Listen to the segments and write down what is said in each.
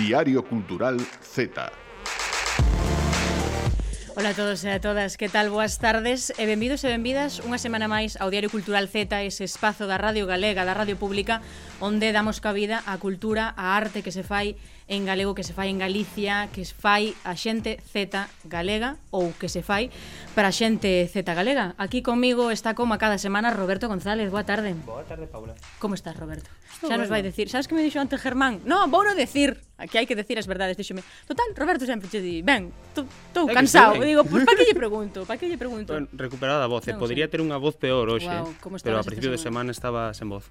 Diario Cultural Z. Ola a todos e a todas, que tal? Boas tardes e benvidos e benvidas unha semana máis ao Diario Cultural Z, ese espazo da Radio Galega, da Radio Pública, onde damos cabida á cultura, á arte que se fai en galego, que se fai en Galicia, que se fai a xente Z galega ou que se fai para a xente Z galega. Aquí comigo está como a cada semana Roberto González. Boa tarde. Boa tarde, Paula. Como estás, Roberto? Xa nos vai decir. Sabes que me dixo antes Germán? Non, vou non decir. Aquí hai que decir as verdades, díxome. Total, Roberto sempre che di, ben, estou cansado. E digo, pois, pa que lle pregunto? Pa que lle pregunto? Recuperada a voz, Non podría ter unha voz peor hoxe, pero a principio de semana estaba sen voz.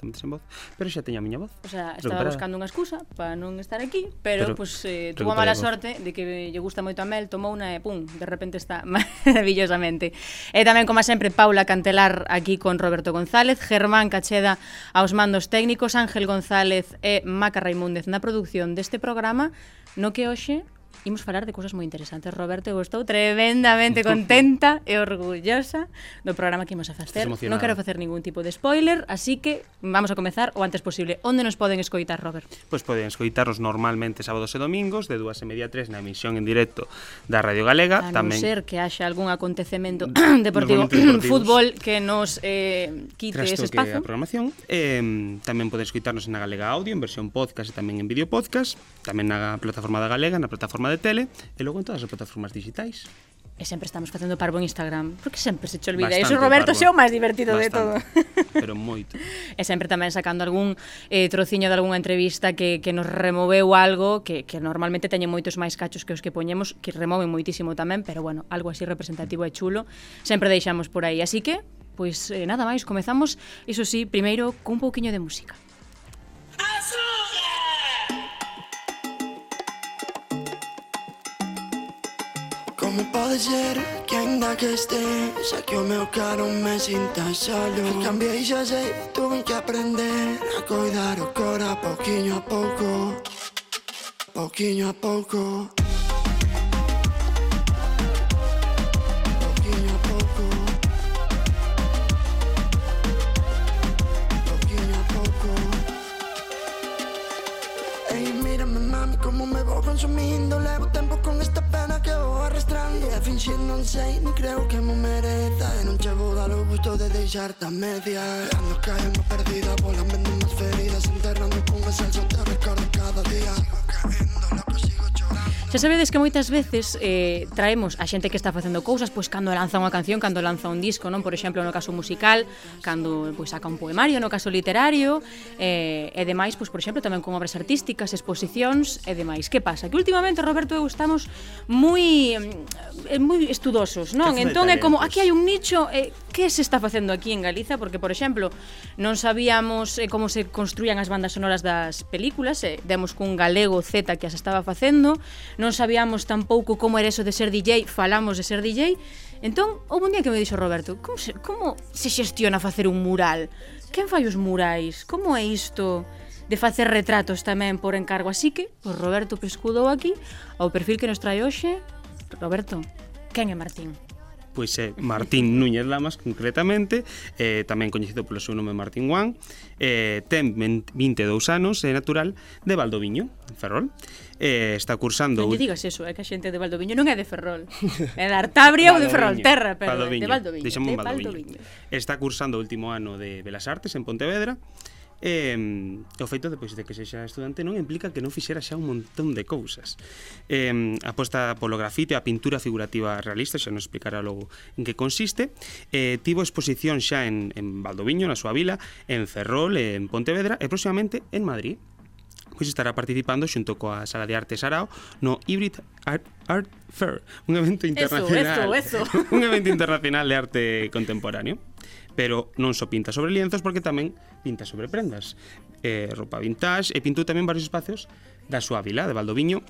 Sen voz, pero xa teña a miña voz. O sea, estaba buscando unha excusa para non estar aquí, pero pues, tuvo a mala sorte de que lle gusta moito a Mel, tomou unha e pum, de repente está maravillosamente. E tamén, como sempre, Paula Cantelar aquí con Roberto González, Germán Cacheda aos mandos técnicos, Ángel González e Maca Raimúndez na produción deste programa, no que hoxe imos falar de cousas moi interesantes. Roberto, eu estou tremendamente contenta e orgullosa do programa que imos a facer. Non quero facer ningún tipo de spoiler, así que vamos a comezar o antes posible. Onde nos poden escoitar, Robert? Pois poden escoitarnos normalmente sábados e domingos de 2:30 a 3 na emisión en directo da Radio Galega. A non ser que haxa algún acontecemento deportivo, fútbol, que nos quite ese espazo. A programación. Tamén poden escoitarnos na Galega Audio, en versión podcast e tamén en vídeo podcast, tamén na plataforma da Galega, na plataforma de tele e logo en todas as plataformas digitais. E sempre estamos facendo parvo en Instagram, porque sempre se che olvida. Iso, Roberto, xe o máis divertido de todo. Pero moito. E sempre tamén sacando algún trociño de algunha entrevista que nos removeu algo, que normalmente teñen moitos máis cachos que os que poñemos, que removen moitísimo tamén, pero bueno, algo así representativo e chulo, sempre deixamos por aí. Así que, pois nada máis, comezamos, iso sí, primeiro cun pouquiño de música. Como pode ser que ainda que estés aquí o meu caro me sinta solo? Cambiei, xa sei, tuve que aprender a coidar o cora pouquiño a pouco, pouquiño a pouco. Como me vou consumindo, levo tempo con esta pena que vou arrastrando. E a finxir non sei, ni creo que me mereza. E non che vou dar o gusto de deixarte a media. Cando caio unha perdida, vou lamendo máis feridas, enterrando con a salsa, te recordo cada día. Sigo caendo, loco, sigo chorando. Xa sabedes que moitas veces traemos a xente que está facendo cousas, pois cando lanza unha canción, cando lanza un disco, non? Por exemplo, no caso musical, cando pois saca un poemario, no caso literario, e demais, pois por exemplo, tamén con obras artísticas, exposicións e demais. Que pasa? Que últimamente, Roberto, eu estamos moi estudosos, non? Entón é como, aquí hai un nicho, que se está facendo aquí en Galiza? Porque, por exemplo, non sabíamos como se construían as bandas sonoras das películas, demos cun galego Z que as estaba facendo, non sabíamos tampouco como era eso de ser DJ, falamos de ser DJ. Entón, houve un día que me dixo Roberto, como se xestiona facer un mural? Quen fai os murais? Como é isto de facer retratos tamén por encargo? Así que, pois Roberto pescudou aquí ao perfil que nos trae hoxe. Roberto, quen é Martín? Pois é Martín Núñez Lamas, concretamente, tamén coñecido polo seu nome Martín Juan, ten 22 anos, é natural de Valdoviño, en Ferrol. Está cursando... Non lle digas eso, é que a xente de Valdoviño non é de Ferrol, é de Artabria ou de Ferrolterra, pero de Valdoviño. Deixamos Valdoviño. Está cursando o último ano de Belas Artes en Pontevedra. O feito depois de que sexa estudante non implica que non fixera xa un montón de cousas. Aposta polo grafite, a pintura figurativa realista, xa nos explicará logo en que consiste. Tivo exposición xa en Valdoviño, na súa vila, en Ferrol, en Pontevedra e próximamente en Madrid. Pois estará participando xunto coa Sala de Arte Sarao no Hybrid Art Fair, un evento internacional, un evento internacional de arte contemporáneo. Pero non só pinta sobre lienzos, porque tamén pinta sobre prendas, roupa vintage, e pintou tamén varios espacios da súa vila de Valdoviño,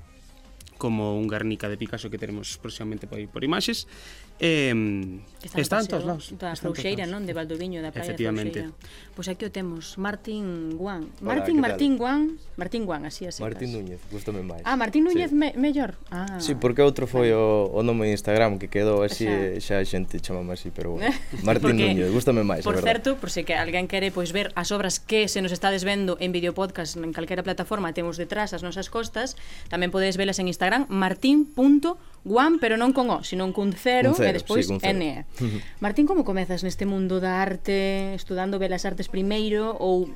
como un Guernica de Picasso que teremos próximamente por imaxes. Está en todos lados. Da Frouxeira, non? De Valdoviño, da praia de Frouxeira. Pois aquí o temos, Martín Guan. Martín Guan, así é. Martín Núñez, gustame máis. Martín Núñez mellor. Sí, porque outro foi o nome de Instagram que quedou así, xa a xente chamame así, pero bueno. Martín Núñez, gustame máis, por certo, por se que alguén quere pois ver as obras que se nos estades vendo en videopodcast en calquera plataforma, temos detrás as nosas costas, tamén podedes velas en Instagram, martin.guan, pero non con O, sino con cero e despois sí, N. Martín, como comezas neste mundo da arte, estudando belas artes primeiro ou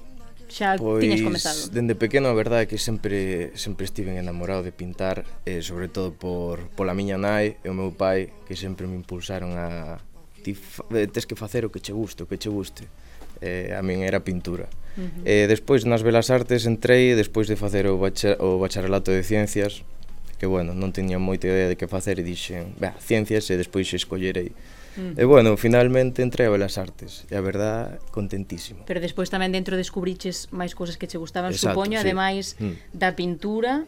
xa tiñas comezado? Dende pequeno a verdade é que sempre estiven enamorado de pintar, sobre todo pola miña nai e o meu pai, que sempre me impulsaron a tes que facer o que che guste, a min era pintura. Despois nas belas artes entrei, despois de facer o bacharelato de ciencias, que bueno, non tiña moita idea de que facer e dixen, ciencias e despois escollerei. E bueno, finalmente entrei a belas artes e a verdad, contentísimo. Pero despois tamén dentro descubriches máis cousas que che gustaban, supoño, ademais da pintura.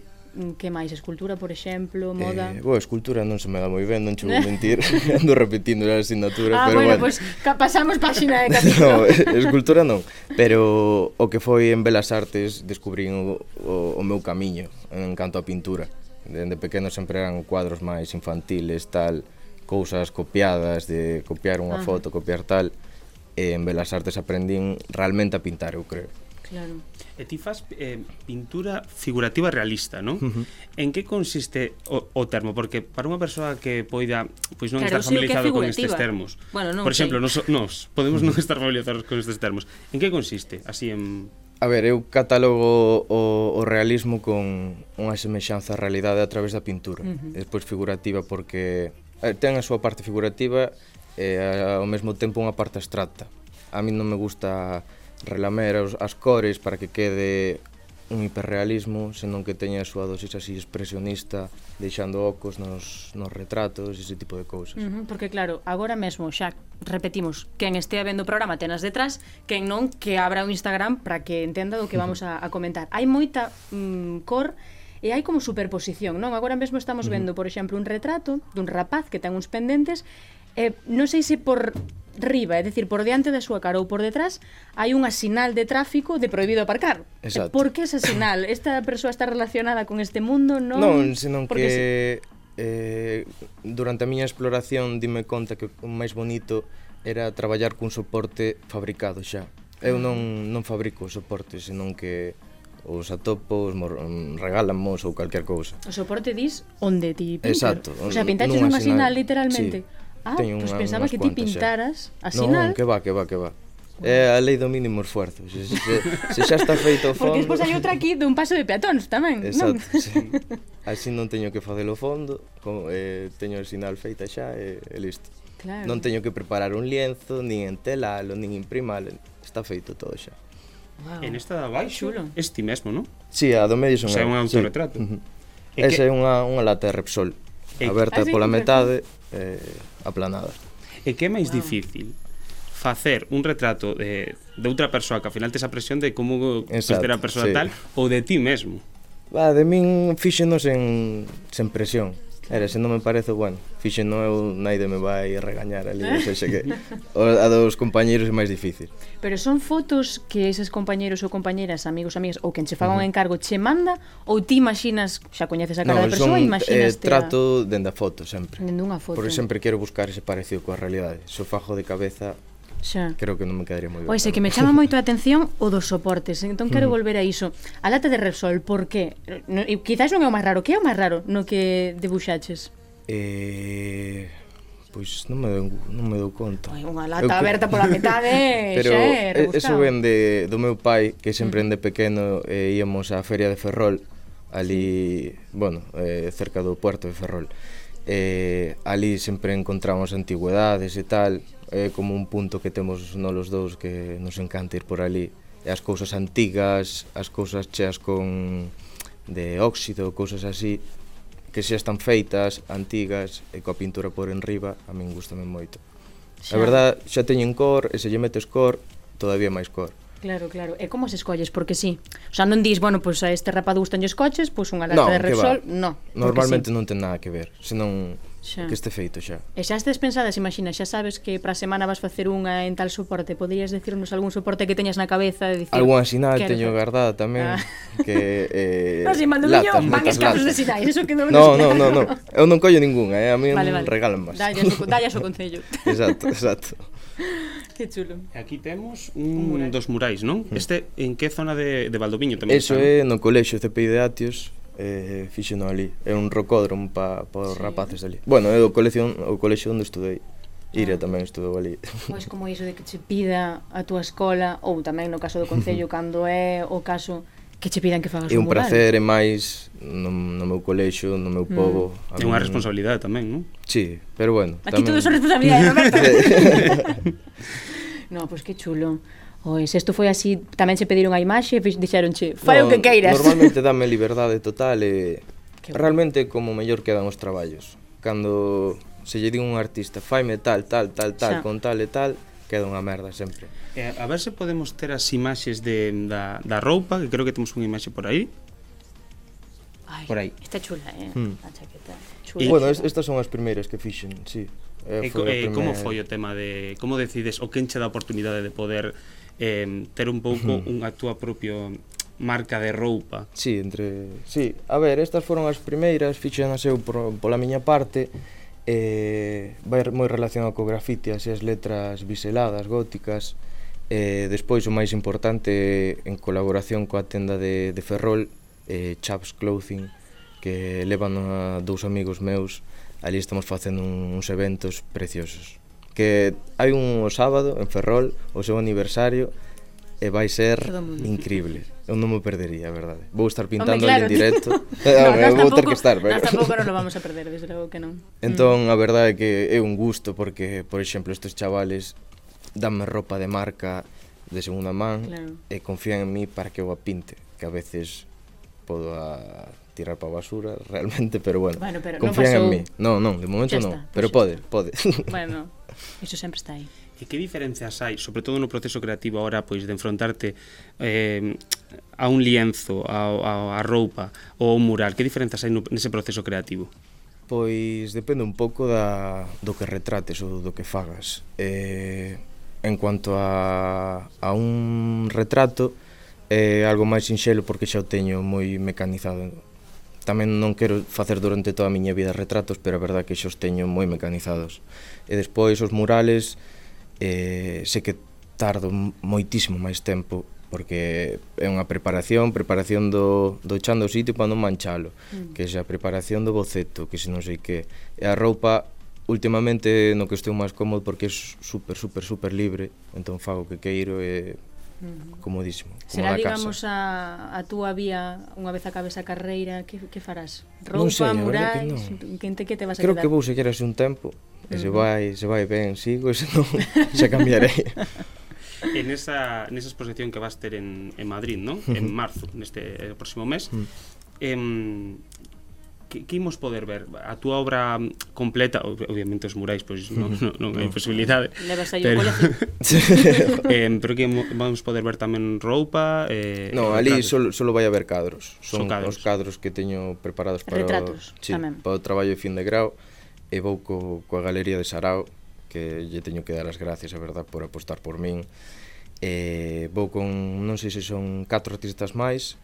Que máis? Escultura, por exemplo, moda? Escultura non se me dá moi ben, non che vou mentir. Ando repetindo a asignatura, pero bueno, pues pasamos páxina de capítulo. No, escultura non, pero o que foi en belas artes descubrín o meu camiño en canto a pintura. Dende pequeno sempre eran cuadros máis infantiles, tal, cousas copiadas, de copiar unha foto, copiar tal, e en belas artes aprendín realmente a pintar, eu creo. Claro. E ti fas pintura figurativa realista, non? En que consiste o termo? Porque para unha persoa que poida pois non estar familiarizado con estes termos, por exemplo, nos podemos non estar familiarizados con estes termos. En que consiste? Así en... A ver, eu catalogo o realismo con unha semexanza á realidade a través da pintura. Despois figurativa porque ten a súa parte figurativa e ao mesmo tempo unha parte abstracta. A mí non me gusta relamer as cores para que quede un hiperrealismo, senón que teña a súa dosis así expresionista, deixando ocos nos retratos, ese tipo de cousas. Porque claro, agora mesmo xa repetimos, quen estea vendo o programa tenas detrás, quen non, que abra o Instagram para que entenda do que vamos a comentar. Hai moita cor e hai como superposición, non? Agora mesmo estamos vendo, por exemplo, un retrato dun rapaz que ten uns pendentes, non sei se por riba, é dicir, por diante da súa cara ou por detrás, hai unha sinal de tráfico de prohibido aparcar. Exacto. Por que esa sinal? Esta persoa está relacionada con este mundo, non? Non, senón que durante a miña exploración dime conta que o máis bonito era traballar cun soporte fabricado xa. Eu non fabrico os soportes, senón que os atopo, regálanmos ou calquer cousa. O soporte dis onde ti pintas? Exacto. O sea, pintaches unha sinal literalmente? Sí. Pues pensaba que ti pintaras a sinal. Non, que va. É a lei do mínimo esforzo. Se xa está feito o fondo... Porque despois hai outra aquí dun paso de peatóns tamén, exacto, non? Sí. Así non teño que facelo fondo, teño a sinal feita xa e listo. Claro. Non teño que preparar un lienzo, nin entelalo, nin imprimalo, está feito todo xa. Wow. En esta de abaixo, este mesmo, non? Sí, a do medio son... O sea, un autorretrato. Sí. Esa é unha lata de Repsol, aberta pola metade, aplanada. E que é máis difícil? Facer un retrato de outra persoa que ao final tes a presión de como ser a persoa tal, ou de ti mesmo? De min fíxenos sen presión. Se non me parece, bueno, fíxeno eu, naide me vai regañar ali, o sea, que a dos compañeiros é máis difícil. Pero son fotos que eses compañeiros ou compañeras, amigos, amigas, ou quen che faga un encargo che manda, ou ti imaxinas, xa coñeces a cara da persoa, imaxinas trato dende a foto sempre. Dende unha foto. Porque sempre quero buscar ese parecido coa realidade. Se o fajo de cabeza, xa. Creo que non me quedaría moi ben. Pois é que me chama moito a atención o dos soportes, entón quero volver a iso. A lata de Repsol, por que? Quizás non é o máis raro, que é o máis raro no que debuxaches? Pois non me dou conta. Unha lata aberta pola metade, pero xa é rebuscado. Eso ven do meu pai, que sempre de pequeno íamos á feria de Ferrol, ali, bueno, cerca do puerto de Ferrol. Ali sempre encontramos antigüedades e tal, é como un punto que temos nos dous que nos encanta ir por ali. E as cousas antigas, as cousas cheas de óxido, cousas así, que xa están feitas, antigas, e coa pintura por enriba, a min gustame moito. A verdad, xa teñen cor, e se lle metes cor, todavía máis cor. Claro, claro. E como se escolles? Porque sí. O sea, non dis, bueno, pois a este rapado gustan os coches, pois unha lata No, de que Repsol, va. no. Normalmente non ten nada que ver, senón Xa. que este feito xa. E xa estes pensadas, imagina, xa sabes que para a semana vas facer unha en tal soporte, poderías decirnos algún soporte que teñas na cabeza e dicir... Algún sinal quero teño facer? guardada tamén, que No, si Maldoviño van moitas escasos de latas. sinais, eso quedou No, eu non collo ningunha, a mí Vale, non vale. regalan máis. Dallas o concello. Exacto. Que chulo. Aquí temos mural. dos murais, non? Este en que zona de Valdoviño tamén Eso está, é no colexio CPI de Atios, fixeno ali. É un rocódromo para os Sí. rapaces ali. Bueno, é o colexio onde estudei. Iria tamén estudou ali. Pois como iso de que che pida a túa escola, ou tamén no caso do concello, cando é o caso que che pidan que fagas É un mural. prazer, é máis no meu colexio, no meu pobo. A É unha min- responsabilidade tamén, non? Sí, pero bueno. Aquí todo son responsabilidades, Roberto. No, pois que chulo. Ois, isto foi así, tamén che pediron a imaxe e dixeronche, fai o que queiras. Normalmente dame liberdade total e Que realmente como mellor quedan os traballos. Cando se lle di un artista faime tal, Xa. con tal e tal, queda unha merda sempre. A ver se podemos ter as imaxes da roupa, que creo que temos unha imaxe por aí. Ai, por aí. Está chula, a chaqueta. Chula. E- Bueno, estas son as primeiras que fixen, sí. Como foi o tema de como decides o quen che dá a oportunidade de poder ter un pouco unha túa propia marca de roupa? Sí, sí, a ver, estas foron as primeiras, fixenas eu pola miña parte. Vai moi relacionado co grafiti, así as letras biseladas, góticas. Despois o máis importante en colaboración coa tenda de Ferrol, Chaps Clothing, que levan a dous amigos meus. Ali estamos facendo uns eventos preciosos. Que hai un sábado en Ferrol, o seu aniversario, e vai ser Todo mundo. increíble. Eu non me perdería, a verdade. Vou estar pintando Hombre, claro, ali en directo. No, Vou ter que estar, pero... Nós tampouco non lo vamos a perder, desde logo que non. Entón, a verdade é que é un gusto porque, por exemplo, estes chavales danme roupa de marca de segunda man Claro. e confían en mí para que eu a pinte, que a veces podo tirar para a basura realmente, pero bueno, Bueno, pero non confían pasou. en mí. Non, de momento Xa non, está, pero pois pode. Bueno, iso sempre está aí. E que diferencias hai, sobre todo no proceso creativo ahora, pois de enfrontarte a un lienzo, a roupa ou a un mural? Que diferencias hai nese proceso creativo? Pois depende un pouco do que retrates ou do que fagas. En cuanto a un retrato, é algo máis sinxelo porque xa o teño moi mecanizado. Tamén non quero facer durante toda a miña vida retratos, pero a verdade é que xa os teño moi mecanizados. E despois os murales, sei que tardo moitísimo máis tempo, porque é unha preparación do chan do sitio para non manchalo, que é a preparación do boceto, que se non sei que. E a roupa, últimamente no que estou máis cómodo porque é super libre, entón fago o que queiro e comodísimo, como Será, na digamos, casa. a túa vía, unha vez acabes a carreira, que farás? Non sei, Roupa, a verdade murais, que que te vas a Creo quedar? que vou seguir así un tempo, e se vai ben, sigo, e se non, xa cambiarei. En esa exposición que vas ter en Madrid, non? En marzo, neste próximo mes, que imos poder ver? A túa obra completa, obviamente os murais, pois non hai posibilidade. Levas aí pero- o colegio. Pero que vamos poder ver tamén roupa, No, ali retratos? solo vai haber cadros. Son cadros. os cadros que teño preparados para Retratos, tamén. para o traballo de fin de grau. E vou coa Galería de Sarao, que lle teño que dar as gracias, a verdad, por apostar por min. Vou con, non sei se son 4 artistas máis,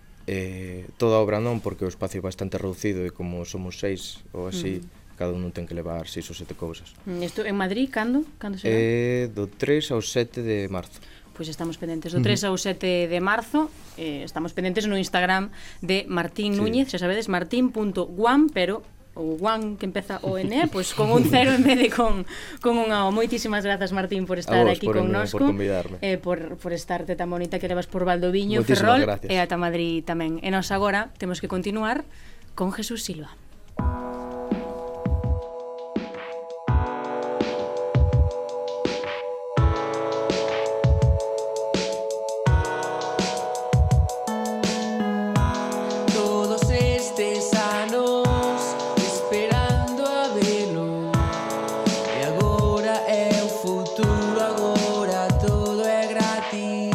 toda a obra non, porque o espacio é bastante reducido e como somos 6 ou así, cada un ten que levar 6 ou 7 cousas. Isto en Madrid, cando? Cando será? Do 3 ao 7 de marzo. Pois estamos pendentes do 3 ao 7 de marzo. Estamos pendentes no Instagram de Martín Núñez, xa sabedes, martin.guam, pero o guam que empeza o N, pois con un cero en vez de con unha O. Moitísimas grazas, Martín, por estar vos, aquí por connosco, convidarme. por estarte tan bonita que levas por Valdoviño, Moitísimas Ferrol gracias. e ata Madrid tamén. E nós agora temos que continuar con Jesús Silva. Todos estes anos esperando a velo, e agora é o futuro, agora todo é gratis.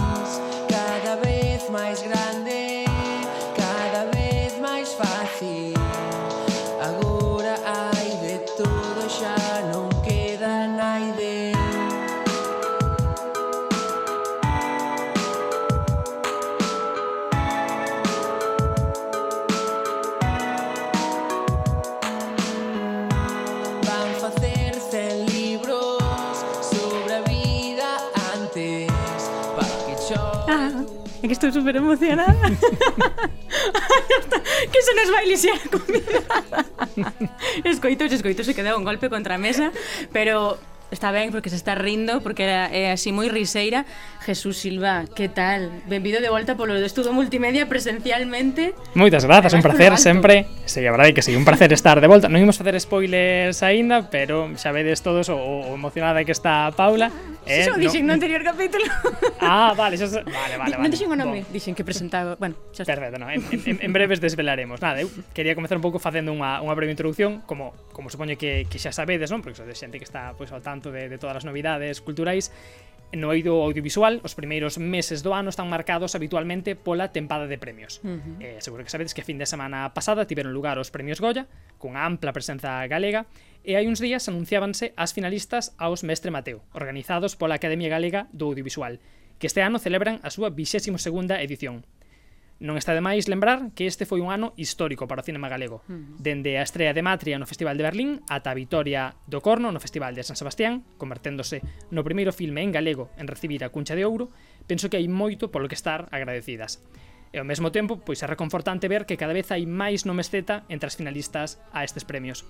que estou super emocionada. Que se nos vai lixar a convidada. Escoitos, se quedou un golpe contra a mesa, pero está ben porque se está rindo, porque é así moi riseira. Jesús Silva, que tal? Benvido de volta polo do Estudo Multimedia presencialmente. Moitas grazas, un placer sempre. Sí, a verdade que sí, un placer estar de volta. Non imos facer spoilers aínda, pero xa vedes todos o emocionada que está Paula. Eso dixen no anterior capítulo. Vale, vale. Non dixen o nome, dixen que presentaba. Bueno, xa está. Perfecto, no, en breves desvelaremos. Nada, eu quería comezar un pouco facendo unha breve introducción, como supoño que xa sabedes, non? Porque sodes xente que está pois ao tanto de todas as novidades culturais. No eido audiovisual, os primeiros meses do ano están marcados habitualmente pola tempada de premios. Seguro que sabedes que a fin de semana pasada tiveron lugar os premios Goya, cunha ampla presenza galega, e hai uns días anunciábanse as finalistas aos Mestre Mateo, organizados pola Academia Galega do Audiovisual, que este ano celebran a súa 22ª edición. Non está de máis lembrar que este foi un ano histórico para o cinema galego. Dende a estrea de Matria no Festival de Berlín ata a vitoria do Corno no Festival de San Sebastián, converténdose no primeiro filme en galego en recibir a Cuncha de Ouro, penso que hai moito polo que estar agradecidas. E ao mesmo tempo, pois é reconfortante ver que cada vez hai máis nomes Z entre as finalistas a estes premios.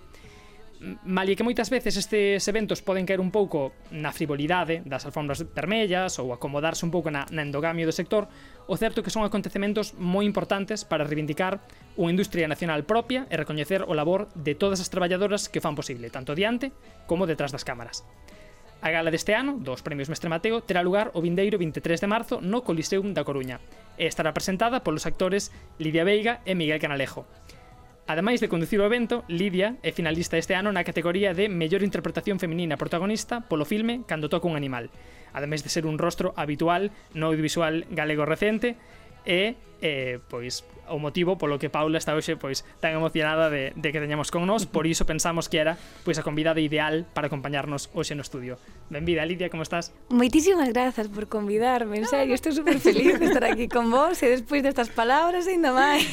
Malia que moitas veces estes eventos poden caer un pouco na frivolidade das alfombras vermellas ou acomodarse un pouco na endogamia do sector, o certo é que son acontecementos moi importantes para reivindicar unha industria nacional propia e recoñecer o labor de todas as traballadoras que fan posible, tanto diante como detrás das cámaras. A gala deste ano, dos Premios Mestre Mateo, terá lugar o vindeiro 23 de marzo no Coliseum da Coruña e estará presentada polos actores Lidia Veiga e Miguel Canalejo. Ademais de conducir o evento, Lidia é finalista este ano na categoría de Mellor Interpretación Feminina Protagonista polo filme Cando toca un animal, ademais de ser un rostro habitual no audiovisual galego recente e pois o motivo polo que Paula está hoxe pois tan emocionada de que teñamos con nós, por iso pensamos que era pois a convidada ideal para acompañarnos hoxe no estudio. Benvida, Lidia, como estás? Moitísimas grazas por convidarme, en serio, estou super feliz de estar aquí con vos e despois destas palabras ainda máis.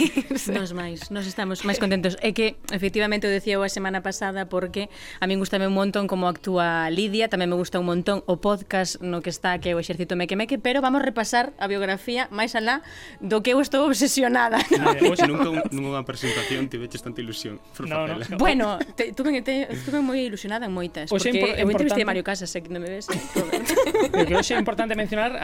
Nos estamos máis contentos. É que, efectivamente, o decía a semana pasada porque a min gustame un montón como actúa Lidia, tamén me gusta un montón o podcast no que está, que é o Exército Meque Meque, pero vamos repasar a biografía máis alá do que eu estou obsesionada. Hoxe nunca unha presentación tiveches tanta ilusión por facela. Bueno, estuve moi ilusionada en moitas, porque eu entrevistei a Mario Casas, que non me ves. Que hoxe é importante mencionar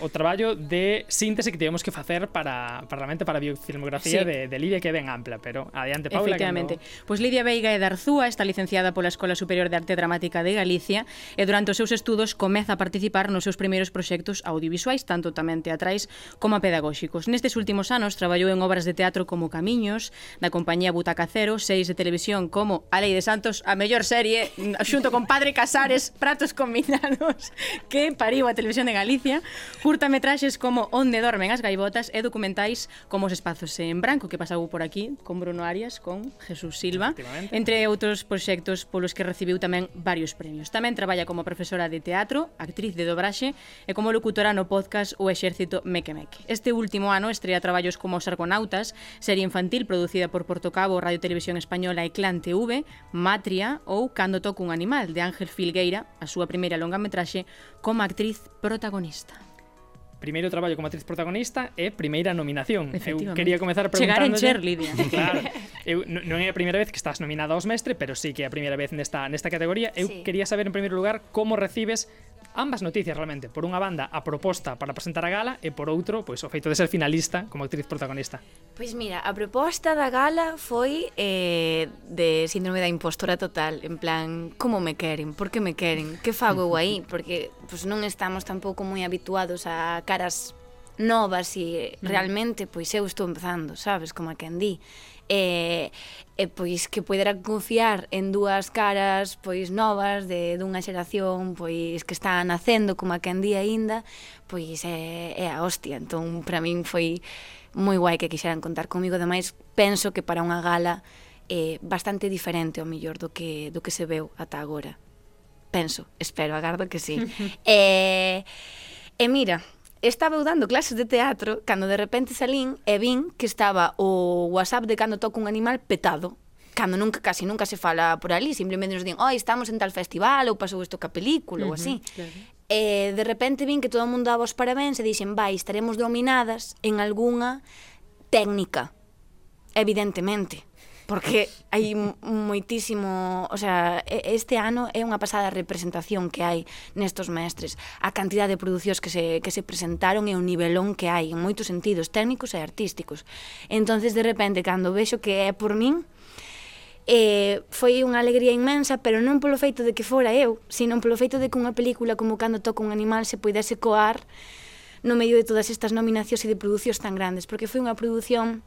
o traballo de síntese que tivemos que facer para a biofilmografía de Lidia, que é ben ampla, pero adiante, Paula. Efectivamente. Pois Lidia Veiga é de Arzúa, está licenciada pola Escola Superior de Arte Dramática de Galicia e durante os seus estudos comeza a participar nos seus primeiros proxectos audiovisuais, tanto tamén teatrais como pedagóxicos. Nestes últimos anos traballou en obras de teatro como Camiños, da compañía Butaca Cero, series de televisión como A Lei de Santos, a mellor serie, xunto con Padre Casares, Pratos Combinados, que pariu a Televisión de Galicia, curtametraxes como Onde dormen as gaivotas e documentais como Os espazos en branco, que pasou por aquí con Bruno Arias, con Jesús Silva, entre outros proxectos polos que recibiu tamén varios premios. Tamén traballa como profesora de teatro, actriz de dobraxe e como locutora no podcast O Exército Meque Meque. Este último ano estrea traballos como Os Argonautas, serie infantil producida por Portocabo, Radio Televisión Española e Clan TV, Matria ou Cando toca un animal, de Ángel Filgueira, a súa primeira longametraxe como actriz protagonista. Primeiro traballo como actriz protagonista e primeira nominación. Eu quería comezar preguntándolle... Chegar en Cher, Lidia. Claro. Non é a primeira vez que estás nominada aos Mestre, pero sí que é a primeira vez nesta categoría. Eu quería saber, en primeiro lugar, como recibes ambas noticias realmente. Por unha banda, a proposta para presentar a gala e por outro, pois o feito de ser finalista como actriz protagonista. Pois mira, a proposta da gala foi de síndrome da impostora total, en plan, como me queren, por que me queren, que fago eu aí, porque pois non estamos tampouco moi habituados a caras novas e realmente pois eu estou empezando, sabes, como a quen di. E pois que poidera confiar en dúas caras pois novas dunha xeración pois que está nacendo, como a quen di aínda, pois é a hostia. Entón, para min foi moi guai que quixeran contar comigo. Ademais, penso que para unha gala é bastante diferente ao mellor do que se veu ata agora. Penso, espero, agardo que sí. E mira, estaba eu dando clases de teatro cando de repente salín e vin que estaba o WhatsApp de Cando toca un animal petado, cando casi nunca se fala por ali, simplemente nos din, estamos en tal festival ou pasou isto ca película ou así. E de repente vin que todo o mundo daba os parabéns e dixen, vai, estaremos dominadas en algunha técnica, evidentemente, porque hai moitísimo, o sea, este ano é unha pasada representación que hai nestos mestres, a cantidad de producións que se presentaron e o nivelón que hai en moitos sentidos técnicos e artísticos. Entonces, de repente, cando vexo que é por min, foi unha alegría inmensa, pero non polo feito de que fora eu, sino polo feito de que unha película como Cando toca un animal se poidese coar no medio de todas estas nominacións e de producións tan grandes, porque foi unha produción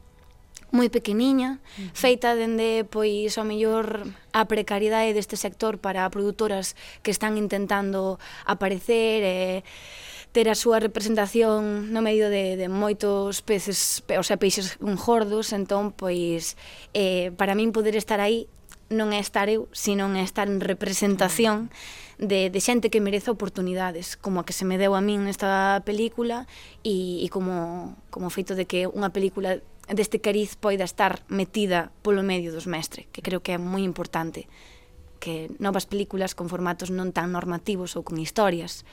moi pequeniña, feita dende, pois, ao mellor a precariedade deste sector para produtoras que están intentando aparecer e ter a súa representación no medio de moitos peces, o sea, peixes gordos. Entón, pois, para min poder estar aí non é estar eu, sino é estar en representación de xente que merece oportunidades, como a que se me deu a min nesta película, e como feito de que unha película deste cariz poida estar metida polo medio dos mestres, que creo que é moi importante, que novas películas con formatos non tan normativos ou con historias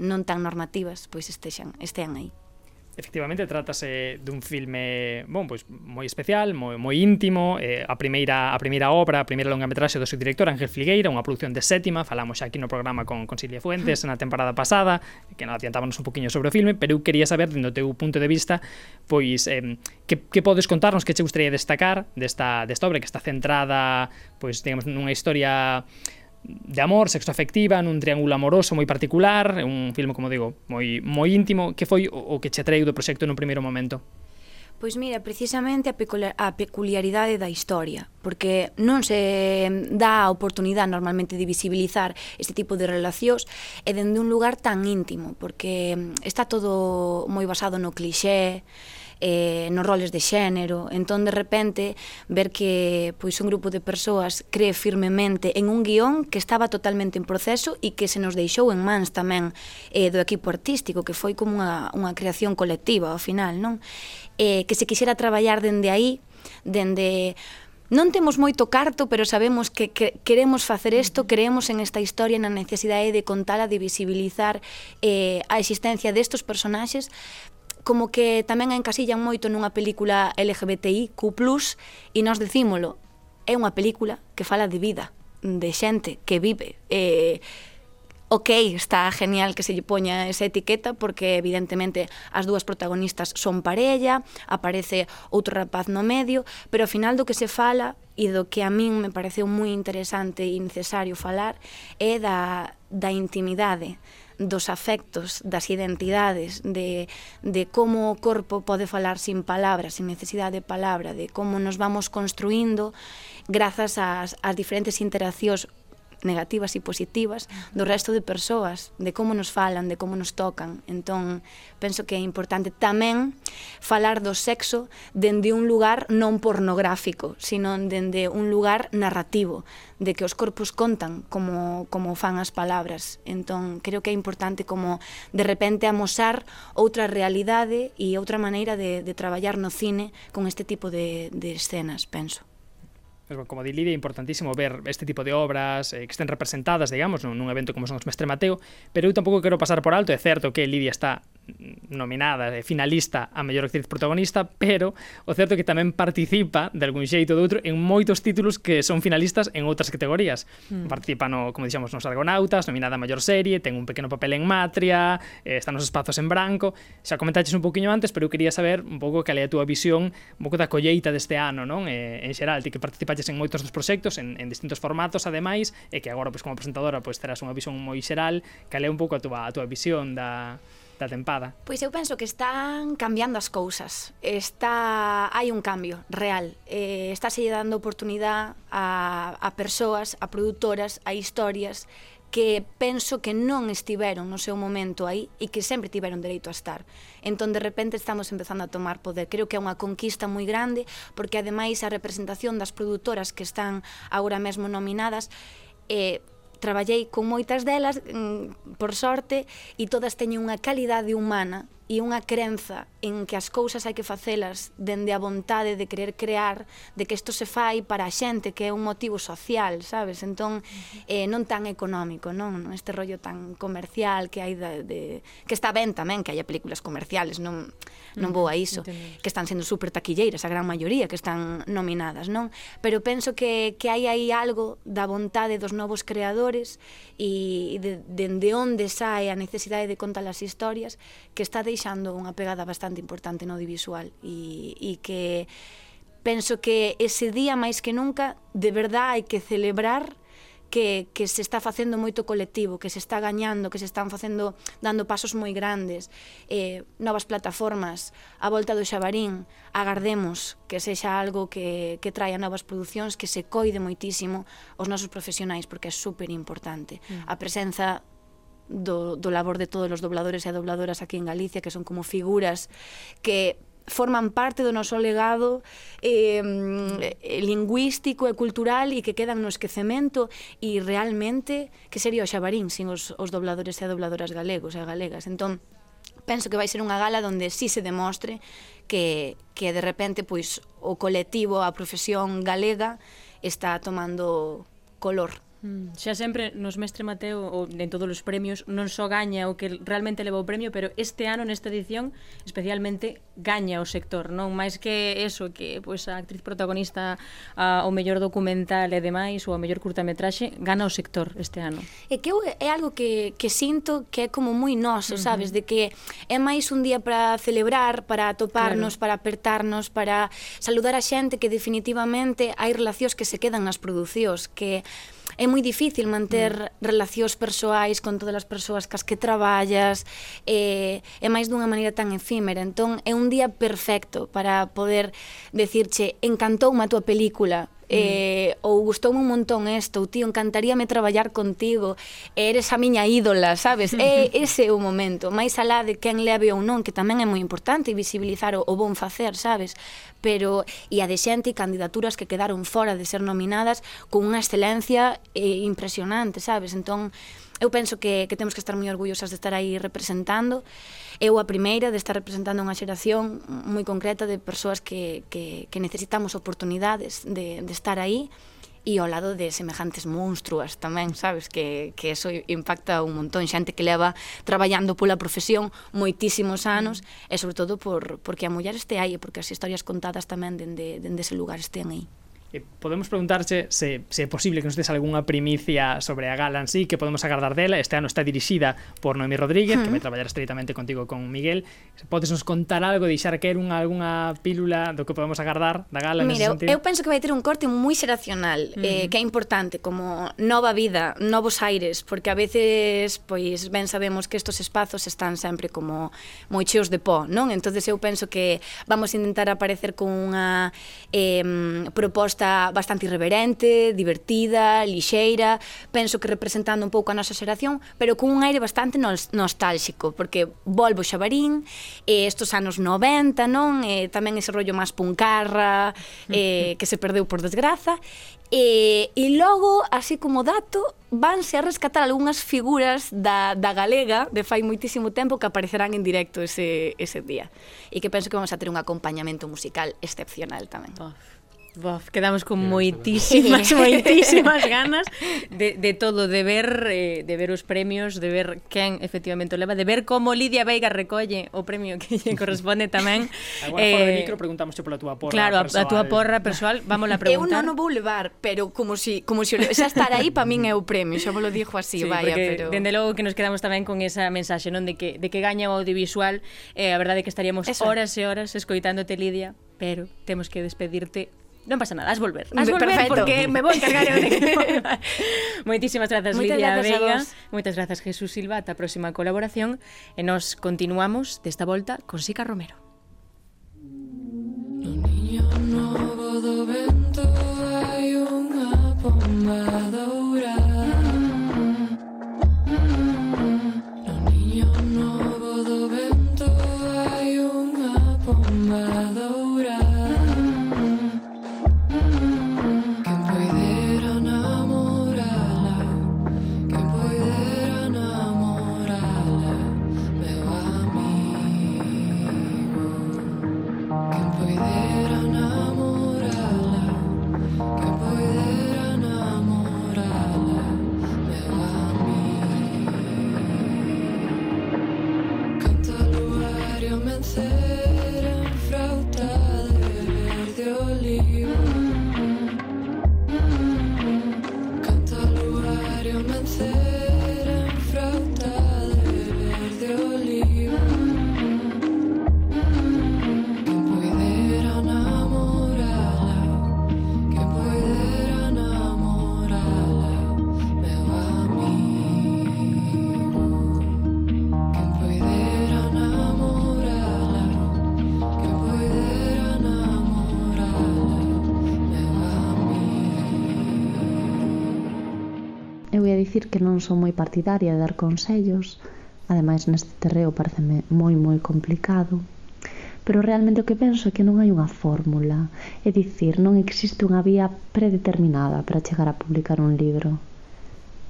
non tan normativas pois estean aí. Efectivamente, trátase dun filme, bon, pois moi especial, moi íntimo, a primeira obra, a primeira longametraxe do seu director Ángel Filgueira, unha produción de Sétima, falamos xa aquí no programa con Silvia Fuentes na temporada pasada, que non adiantábamos un poquinho sobre o filme, pero eu quería saber, dentro do teu punto de vista, pois, que podes contarnos, que che gustaría destacar desta obra, que está centrada, pois, digamos, nunha historia de amor, sexoafectiva, nun triángulo amoroso moi particular, un filme, como digo, moi íntimo. Que foi o que che atraiu do proxecto nun primeiro momento? Pois mira, precisamente a peculiaridade da historia, porque non se dá a oportunidade normalmente de visibilizar este tipo de relacións e dende un lugar tan íntimo, porque está todo moi basado no clixé, nos roles de xénero. Entón, de repente, ver que pois un grupo de persoas cree firmemente en un guión que estaba totalmente en proceso e que se nos deixou en mans tamén do equipo artístico, que foi como unha creación colectiva ao final, non? Que se quixera traballar dende aí, dende... Non temos moito carto, pero sabemos que queremos facer isto, creemos en esta historia, na necesidade de contala, de visibilizar a existencia destos personaxes, como que tamén a encasillan moito nunha película LGBTIQ+, e nós decímolo, é unha película que fala de vida, de xente que vive. Ok, está genial que se lle poña esa etiqueta, porque evidentemente as dúas protagonistas son parella, aparece outro rapaz no medio, pero ao final do que se fala, e do que a min me pareceu moi interesante e necesario falar, é da intimidade, dos afectos, das identidades, de como o corpo pode falar sin palabras, sin necesidade de palabra, de como nos vamos construindo grazas ás diferentes interaccións negativas e positivas do resto de persoas, de como nos falan, de como nos tocan. Entón, penso que é importante tamén falar do sexo dende un lugar non pornográfico, sino dende un lugar narrativo, de que os corpos contan como fan as palabras. Entón, creo que é importante como de repente amosar outra realidade e outra maneira de traballar no cine con este tipo de escenas, penso. Como di Lidia, é importantísimo ver este tipo de obras que estén representadas, digamos, nun evento como son os Mestre Mateo, pero eu tampouco quero pasar por alto. É certo que Lidia está nominada, finalista a mellor actriz protagonista, pero o certo é que tamén participa de algún xeito ou de outro en moitos títulos que son finalistas en outras categorías. Participa como dixemos, nos Argonautas, nominada a mellor serie, ten un pequeno papel en Matria, está nos Espazos en Branco. Xa comentaches un poquinho antes, pero eu quería saber un pouco cal é a túa visión, un pouco da colleita deste ano, non? En xeral, ti que participaches en moitos dos proxectos, en distintos formatos, ademais, e que agora, como presentadora, terás unha visión moi xeral. Cal é un pouco a túa visión da tempada? Pois eu penso que están cambiando as cousas. Hai un cambio real. Estáse dando oportunidade a persoas, a produtoras, a historias que penso que non estiveron no seu momento aí e que sempre tiveron dereito a estar. Entón, de repente, estamos empezando a tomar poder. Creo que é unha conquista moi grande, porque, ademais, a representación das produtoras que están agora mesmo nominadas, traballei con moitas delas, por sorte, e todas teñen unha calidade humana e unha crenza en que as cousas hai que facelas dende a vontade de querer crear, de que isto se fai para a xente, que é un motivo social, sabes? Entón, non tan económico, non? Este rollo tan comercial que hai que está ben tamén, que hai películas comerciales, non vou a iso, que están sendo super taquilleiras, a gran maioría que están nominadas, non? Pero penso que hai aí algo da vontade dos novos creadores e dende onde sae a necesidade de contar as historias, que está deixando unha pegada bastante importante no audiovisual e que penso que ese día máis que nunca de verdade hai que celebrar que se está facendo moito colectivo, que se está gañando, que se están facendo, dando pasos moi grandes, novas plataformas, a volta do Xabarín, agardemos que sexa algo que traia novas producións, que se coide moitísimo os nosos profesionais, porque é super importante. A presenza do labor de todos os dobladores e dobladoras aquí en Galicia, que son como figuras que forman parte do noso legado lingüístico e cultural e que quedan no esquecemento, e realmente que sería o Xabarín sin os dobladores e dobladoras galegos e galegas. Entón, penso que vai ser unha gala onde sí se demostre que de repente pois o colectivo, a profesión galega está tomando color. Xa sempre nos Mestre Mateo ou en todos os premios non só gaña o que realmente leva o premio, pero este ano, nesta edición, especialmente gaña o sector, non? Mais que eso, que pois a actriz protagonista, o mellor documental e demais, ou a mellor curtametraxe, gana o sector este ano. É que é algo que sinto que é como moi noso, sabes? De que é máis un día para celebrar, para atoparnos, para apertarnos, para saludar a xente, que definitivamente hai relacións que se quedan nas producións, que é moi difícil manter relacións persoais con todas as persoas cas que traballas, é máis dunha maneira tan efímera. Entón, é un día perfecto para poder decirche, encantoume a tua película, ou gustoume un montón isto, ou tío, encantaríame traballar contigo, eres a miña ídola, sabes? Ese é o momento, máis alá de quen leve ou non, que tamén é moi importante visibilizar o bon facer, sabes? Pero, e a de xente e candidaturas que quedaron fora de ser nominadas con unha excelencia impresionante, sabes? Entón, eu penso que temos que estar moi orgullosas de estar aí representando. Eu a primeira de estar representando unha xeración moi concreta de persoas que necesitamos oportunidades de estar aí, e ao lado de semejantes monstruas tamén, sabes? Que eso impacta un montón. Xente que leva traballando pola profesión moitísimos anos, e sobre todo porque a muller este aí, e porque as historias contadas tamén dende ese lugar estén aí. Podemos preguntarche se é posible que nos des algunha primicia sobre a gala en sí, que podemos agardar dela. Este ano está dirixida por Noemí Rodríguez, que vai traballar estreitamente contigo con Miguel. Podes nos contar algo, deixar que algunha pílula do que podemos agardar da gala? Mira, eu penso que vai ter un corte moi xeracional, que é importante, como nova vida, novos aires, porque a veces, pois, ben sabemos que estos espazos están sempre como moi cheos de pó, non? Entonces eu penso que vamos a intentar aparecer con unha proposta bastante irreverente, divertida, lixeira, penso que representando un pouco a nosa xeración, pero con un aire bastante nostálxico, porque volvo Xabarín, estos anos 90, non? Tamén ese rollo máis puncarra, que se perdeu por desgraza, e logo, así como dato, vanse a rescatar algunhas figuras da galega de fai moitísimo tempo que aparecerán en directo ese día, e que penso que vamos a ter un acompañamento musical excepcional tamén. Quedamos con moitísimas ganas de todo, de ver os premios, de ver quen efectivamente o leva, de ver como Lidia Veiga recolle o premio que lle corresponde tamén. Agora fora de micro preguntamos pola túa porra persoal. Claro, a túa porra persoal, vamos a preguntar. Eu non o vou levar, pero como si xa estar aí para min é o premio, xa vos lo dixo así, vaya, pero dende logo que nos quedamos tamén con esa mensaxe, non, de que gaña o audiovisual. A verdade é que estaríamos horas e horas escoitándote, Lidia, pero temos que despedirte. Non pasa nada, has volver porque me vou encargar eu de que Moitísimas grazas, Lidia Veiga. Moitas grazas, Jesús Silva. Ata a próxima colaboración, e nos continuamos desta volta con Sica Romero. No niño novo do vento hai unha pomba dourada. No niño novo do vento hai unha pomba dourada. poder en frauta de verde oliva. Que poidera namorala, que poidera namorala, meu amigo. Que poidera namorala, que poidera namorala, meu amigo. Eu ia dicir que non son moi partidaria de dar consellos, ademais neste terreo pareceme moi complicado, pero realmente o que penso é que non hai unha fórmula, é dicir, non existe unha vía predeterminada para chegar a publicar un libro.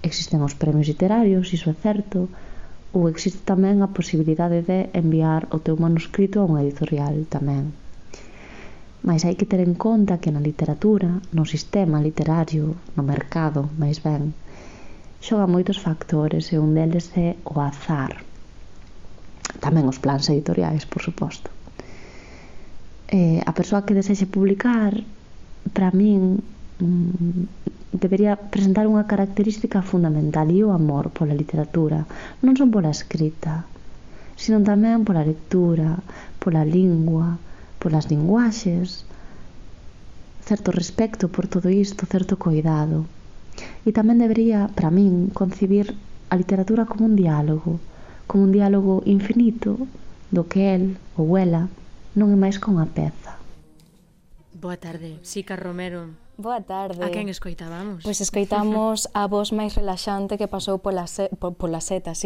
Existen os premios literarios, iso é certo, ou existe tamén a posibilidade de enviar o teu manuscrito a unha editorial tamén. Mais hai que ter en conta que na literatura, no sistema literario, no mercado, máis ben, xoga moitos factores e un deles é o azar. Tamén os plans editoriais, por suposto. A persoa que desexe publicar, para min, debería presentar unha característica fundamental e o amor pola literatura, non son pola escrita, sino tamén pola lectura, pola lingua, polas linguaxes, certo respecto por todo isto, certo coidado. E tamén debería, para min, concibir a literatura como un diálogo infinito do que el ou ela non é máis que unha peza. Boa tarde, Sica Romero. Boa tarde. A quen escoitábamos? Pois escoitamos a voz máis relaxante que pasou polo seta.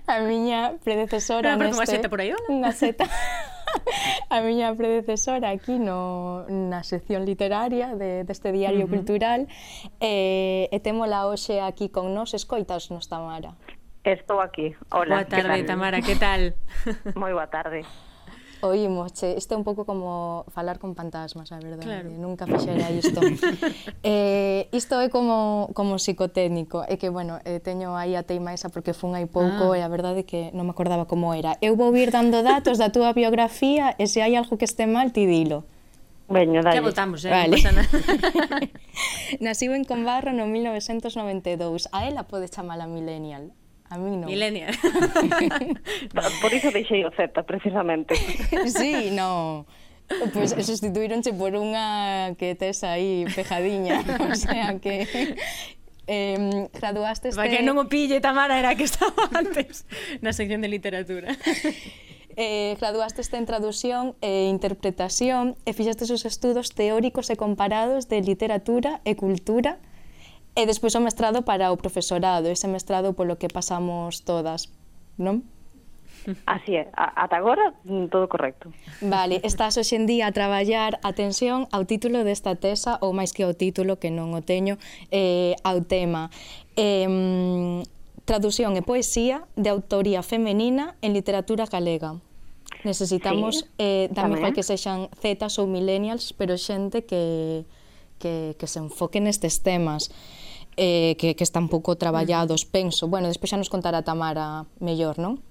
A miña predecesora neste... Unha seta por aí, hola? Unha seta. A miña predecesora aquí na sección literaria deste diario cultural e témola hoxe aquí con nós. Escoitas nos, Tamara? Estou aquí. Hola. Boa tarde, Tamara, que tal? Moi boa tarde. Oímos, isto é un pouco como falar con fantasmas, a verdade. Claro. Nunca fixera isto. Isto é como psicotécnico. É que, bueno, teño aí a teima esa porque fun hai pouco e a verdade é que non me acordaba como era. Eu vou ir dando datos da túa biografía e se hai algo que este mal, ti dilo. Veño, dale. Ya votamos, vale. Non pasa nada. Naciu en Combarro no 1992. A ela pode chamala millennial. A mí non. Millennial. Por iso deixei o Z, precisamente. Sí, no. Pois pues sustituíronche por unha que tes aí pejadiña. O sea que... graduaste... Para que non o pille, Tamara, era que estaba antes na sección de literatura. Graduaste en traducción e interpretación e fixaste os estudos teóricos e comparados de literatura e cultura. E despois o mestrado para o profesorado, ese mestrado polo que pasamos todas, non? Así é, ata agora todo correcto. Vale, estás hoxe en día a traballar, atención, ao título desta tesa, ou máis que ao título, que non o teño, ao tema. Traducción e poesía de autoría femenina en literatura galega. Necesitamos, tamén igual que sexan zetas ou millennials, pero xente que se enfoque nestes temas. Que están pouco traballados, penso. Bueno, despois xa nos contará Tamara mellor, non?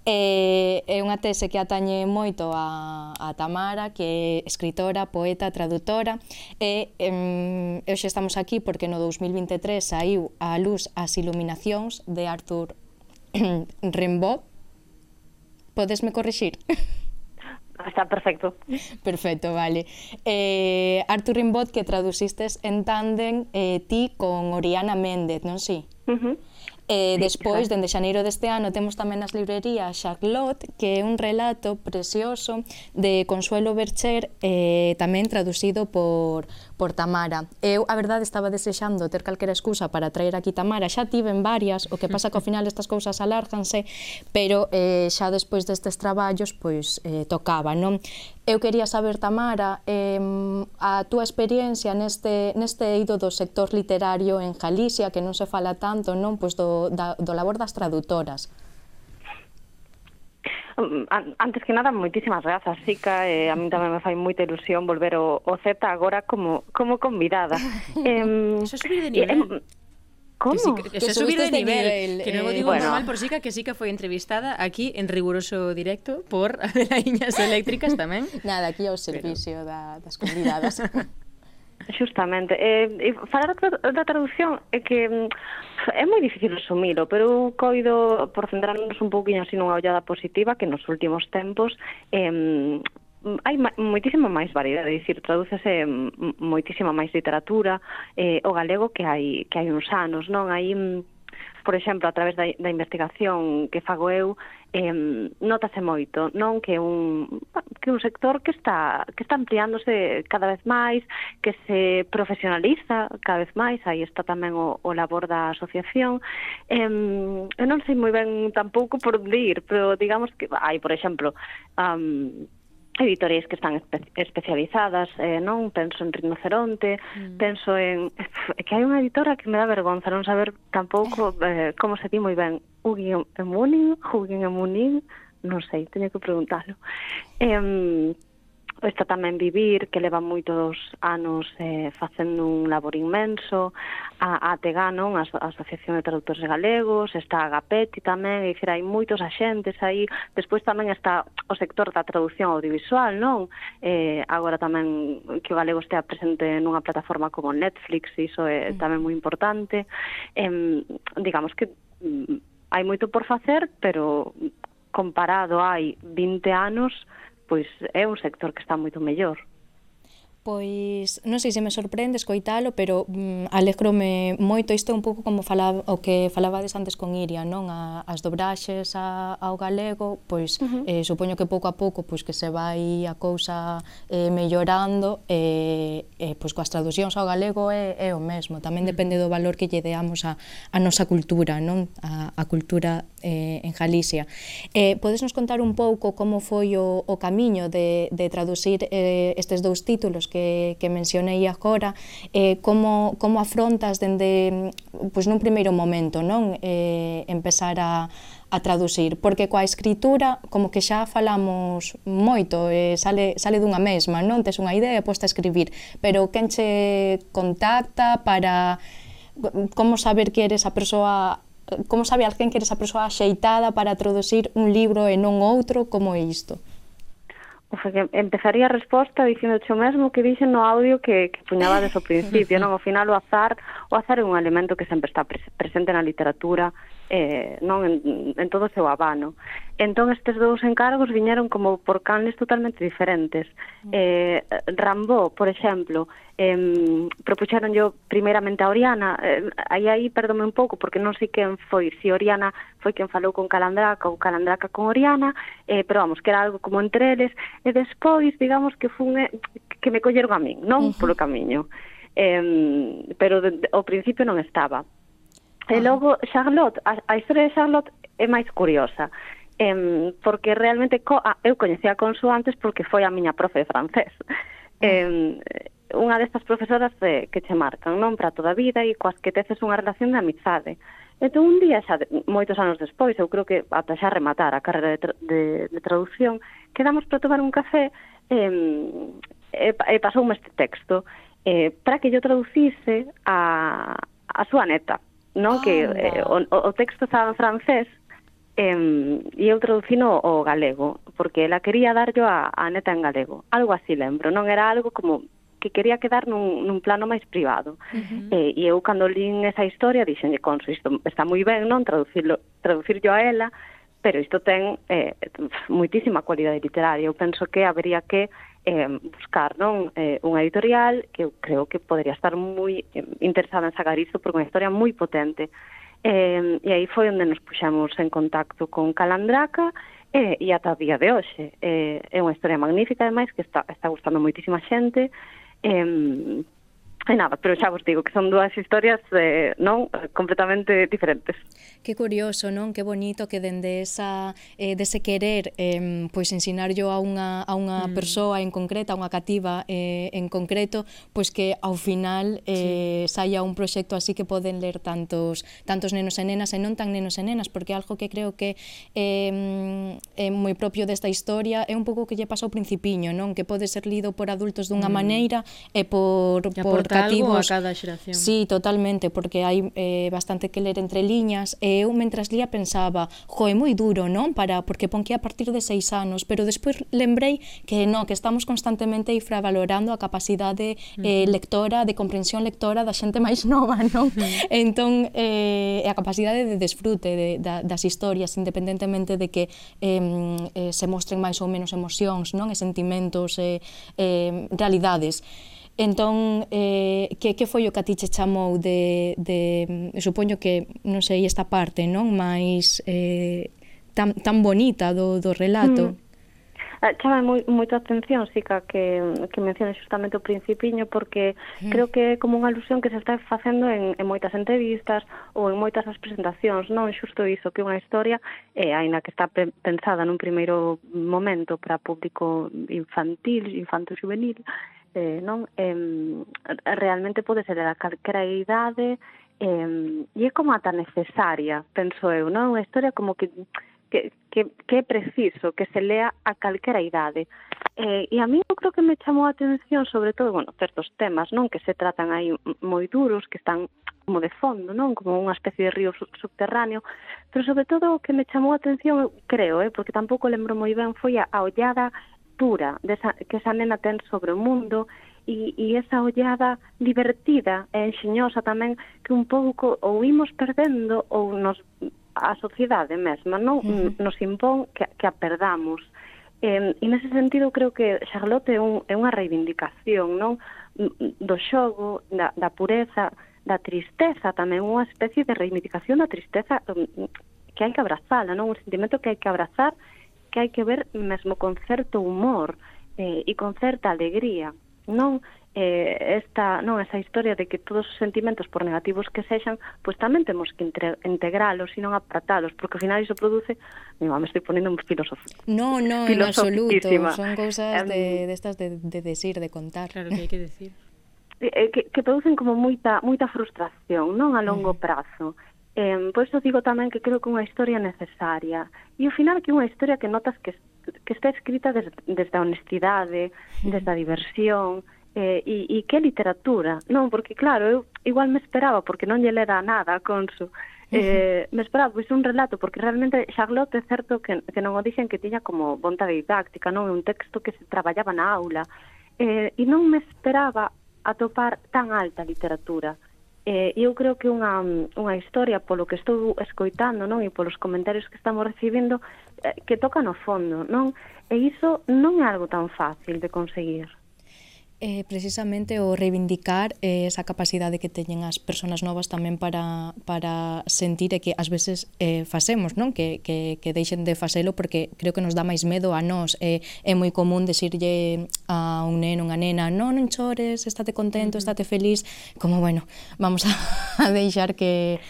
É unha tese que atañe moito a Tamara, que é escritora, poeta, tradutora, e hoxe estamos aquí porque no 2023 saiu á luz As iluminacións de Arthur Rimbaud. Podesme corrixir? Está perfecto. Perfecto, vale. Arthur Rimbaud, que traducistes en tándem ti con Oriana Méndez, non si? Despois, dende xaneiro deste ano, temos tamén nas librerías Charlotte, que é un relato precioso de Consuelo Bercher, tamén traducido por Tamara. Eu, a verdade, estaba desexando ter calquera excusa para traer aquí Tamara. Xa tiven varias, o que pasa que ao final estas cousas alárganse, pero xa despois destes traballos, pois, tocaba, non? Eu quería saber, Tamara, a túa experiencia neste eido do sector literario en Galicia, que non se fala tanto, non? Pois do labor das traductoras. Antes que nada, moitísimas grazas, Sica, a mí tamén me fai moita ilusión volver o Z agora como convidada. Eso é subir de nivel. Como? Eso é subir de nivel. Que non o digo bueno. normal por Sica, que Sica foi entrevistada aquí en riguroso directo por Adelaíñas Eléctricas tamén. Nada, aquí ao servicio das convidadas. Xustamente. Falar da traducción é que é moi difícil resumilo, pero eu coido, por centrarnos un pouquinho así nunha ollada positiva, que nos últimos tempos hai moitísima máis variedade, é dicir, tradúcese moitísima máis literatura o galego que hai uns anos, non? Hai, por exemplo, a través da investigación que fago eu, notase moito, non, que un sector que está ampliándose cada vez máis, que se profesionaliza cada vez máis, aí está tamén o labor da asociación. Eu non sei moi ben tampouco por onde ir, pero digamos que hai, por exemplo, editoriais que están especializadas, non? Penso en Rinoceronte, penso en... que hai unha editora que me dá vergonza non saber tampouco como se di moi ben, Guggenheim, non sei, teño que preguntalo. Está tamén Vivir, que leva moitos anos facendo un labor inmenso, a ATG, non? A Asociación de Traductores Galegos, está a Agapeti tamén, é dicir, hai moitos axentes aí. Despois tamén está o sector da traducción audiovisual, non? Agora tamén que o galego estea presente nunha plataforma como Netflix, iso é tamén moi importante. Digamos que hai moito por facer, pero comparado hai 20 anos, pois é un sector que está moito mellor. Pois non sei se me sorprende escoitalo, pero alégrome moito. Isto é un pouco como o que falabades antes con Iria, non? As dobraxes ao galego, pois supoño que pouco a pouco pois que se vai a cousa mellorando, pois coas traducións ao galego é o mesmo. Tamén depende do valor que lle deamos a nosa cultura, non? A cultura en Galicia. Podes nos contar un pouco como foi o camiño de traducir estes dous títulos que mencionei agora, como afrontas dende, pois nun primeiro momento, non? Empezar a traducir, porque coa escritura como que xa falamos moito, sale dunha mesma, non? Tes unha idea e posta a escribir, pero quen che contacta para como saber que eres a persoa, como sabe alguén que eres a persoa axeitada para traducir un libro e non outro? Como é isto? Empezaría a resposta dicindo o mesmo que dixen no audio que puñabades ao principio, non? Ao final o azar é un elemento que sempre está presente na literatura, non en todo o seu abano. Entón estes dous encargos viñeron como por canles totalmente diferentes. Rimbaud, por exemplo, propuxeron yo primeiramente a Oriana, aí perdome un pouco porque non sei quen foi, se Oriana foi quen falou con Calandraca ou Calandraca con Oriana, pero vamos, que era algo como entre eles, e despois, digamos, que que me colleron a min, non? Polo camiño. Pero ao principio non estaba. E logo, Charlotte, a historia de Charlotte é máis curiosa, porque realmente eu coñecía a Consu antes porque foi a miña profe de francés. Unha destas profesoras que che marcan, non? Para toda a vida e coas que teces unha relación de amizade. Entón, un día, xa moitos anos despois, eu creo que ata xa rematar a carreira de traducción, quedamos para tomar un café e pasoume este texto para que yo traducise a súa neta, non? Que o texto estaba en francés e eu traducino o galego, porque ela quería darlo a neta en galego. Algo así lembro, non? Era algo como que quería quedar nun plano máis privado. E eu, cando lín esa historia, dixenlle, Consu, isto está moi ben, non? Traducirlo a ela, pero isto ten moitísima cualidade literaria. Eu penso que habería que buscar, non? Unha editorial que eu creo que podría estar moi interesada en sacar isto, porque é unha historia moi potente. E aí foi onde nos puxamos en contacto con Calandraca e ata o día de hoxe. É unha historia magnífica, ademais, que está gustando moitísima xente. E nada, pero xa vos digo que son dúas historias non completamente diferentes. Que curioso, non? Que bonito que dende dese querer pois ensinarllo a unha persoa en concreto, a unha cativa en concreto, pois que ao final saia un proxecto así que poden ler tantos nenos e nenas e non tan nenos e nenas, porque algo que creo que é moi propio desta historia é un pouco que lle pasa ao Principiño, non? Que pode ser lido por adultos dunha maneira e por algo a cativos. cada xeración. Sí, totalmente, porque hai bastante que ler entre liñas, e eu mentras lía pensaba, é moi duro, non? Porque pon que a partir de 6 anos, pero despois lembrei que non, que estamos constantemente infravalorando a capacidade lectora, de comprensión lectora da xente máis nova, non? Entón, a capacidade de desfrute das historias, independentemente de que se mostren máis ou menos emocións, non? E sentimentos, realidades. Entón, que foi o que a ti che chamou supoño que, non sei, esta parte, non? Mais tan bonita do relato. Chama moita atención, Sica, que menciones justamente o principiño, porque creo que é como unha alusión que se está facendo en moitas entrevistas ou en moitas das presentacións, non? Xusto iso, que unha historia, aínda que está pensada nun primeiro momento para público infantil, infanto-juvenil, non? Realmente pode ser a calquera idade, e é como ata necesaria, penso eu, non? Unha historia como que é preciso que se lea a calquera idade. E a mí eu creo que me chamou a atención sobre todo, certos temas, non, que se tratan aí moi duros, que están como de fondo, non, como unha especie de río subterráneo, pero sobre todo o que me chamou a atención, creo, porque tampouco lembro moi ben, foi a ollada pura que esa nena ten sobre o mundo, e esa ollada divertida e enxeñosa tamén, que un pouco ou imos perdendo ou a sociedade mesma non nos impón que a perdamos. E nese sentido creo que Charlotte é unha reivindicación, non, do xogo, da pureza, da tristeza tamén, unha especie de reivindicación da tristeza que hai que abrazala, non, un sentimento que hai que abrazar, que hai que ver mesmo con certo humor e con certa alegría, non? Esa historia de que todos os sentimentos, por negativos que sexan, pois tamén temos que integralos e non apartalos, porque ao final iso produce, me estou ponendo un filosofía. No, en absoluto, son cousas destas de decir, de contar. Claro que hai que decir. Que producen como moita frustración, non, a longo prazo. Por iso digo tamén que creo que unha historia necesaria. E ao final que unha historia que notas que está escrita desde a honestidade, desde a diversión, e que literatura, non? Porque claro, eu igual me esperaba, porque non lle lera nada a Consu, me esperaba pois un relato, porque realmente Charlotte é certo que non o dixen que tiña como vontade didáctica, non? É un texto que se traballaba na aula, e non me esperaba atopar tan alta literatura. Eu creo que unha historia, polo que estou escoitando, non, e polos comentarios que estamos recibindo, que toca no fondo, non? E iso non é algo tan fácil de conseguir. Precisamente o reivindicar esa capacidade que teñen as persoas novas tamén para sentir que ás veces facemos, non? Que deixen de facelo, porque creo que nos dá máis medo a nós. É moi común decirlle a un neno, unha nena, non chores, estate contento, estate feliz, como, bueno, vamos a deixar que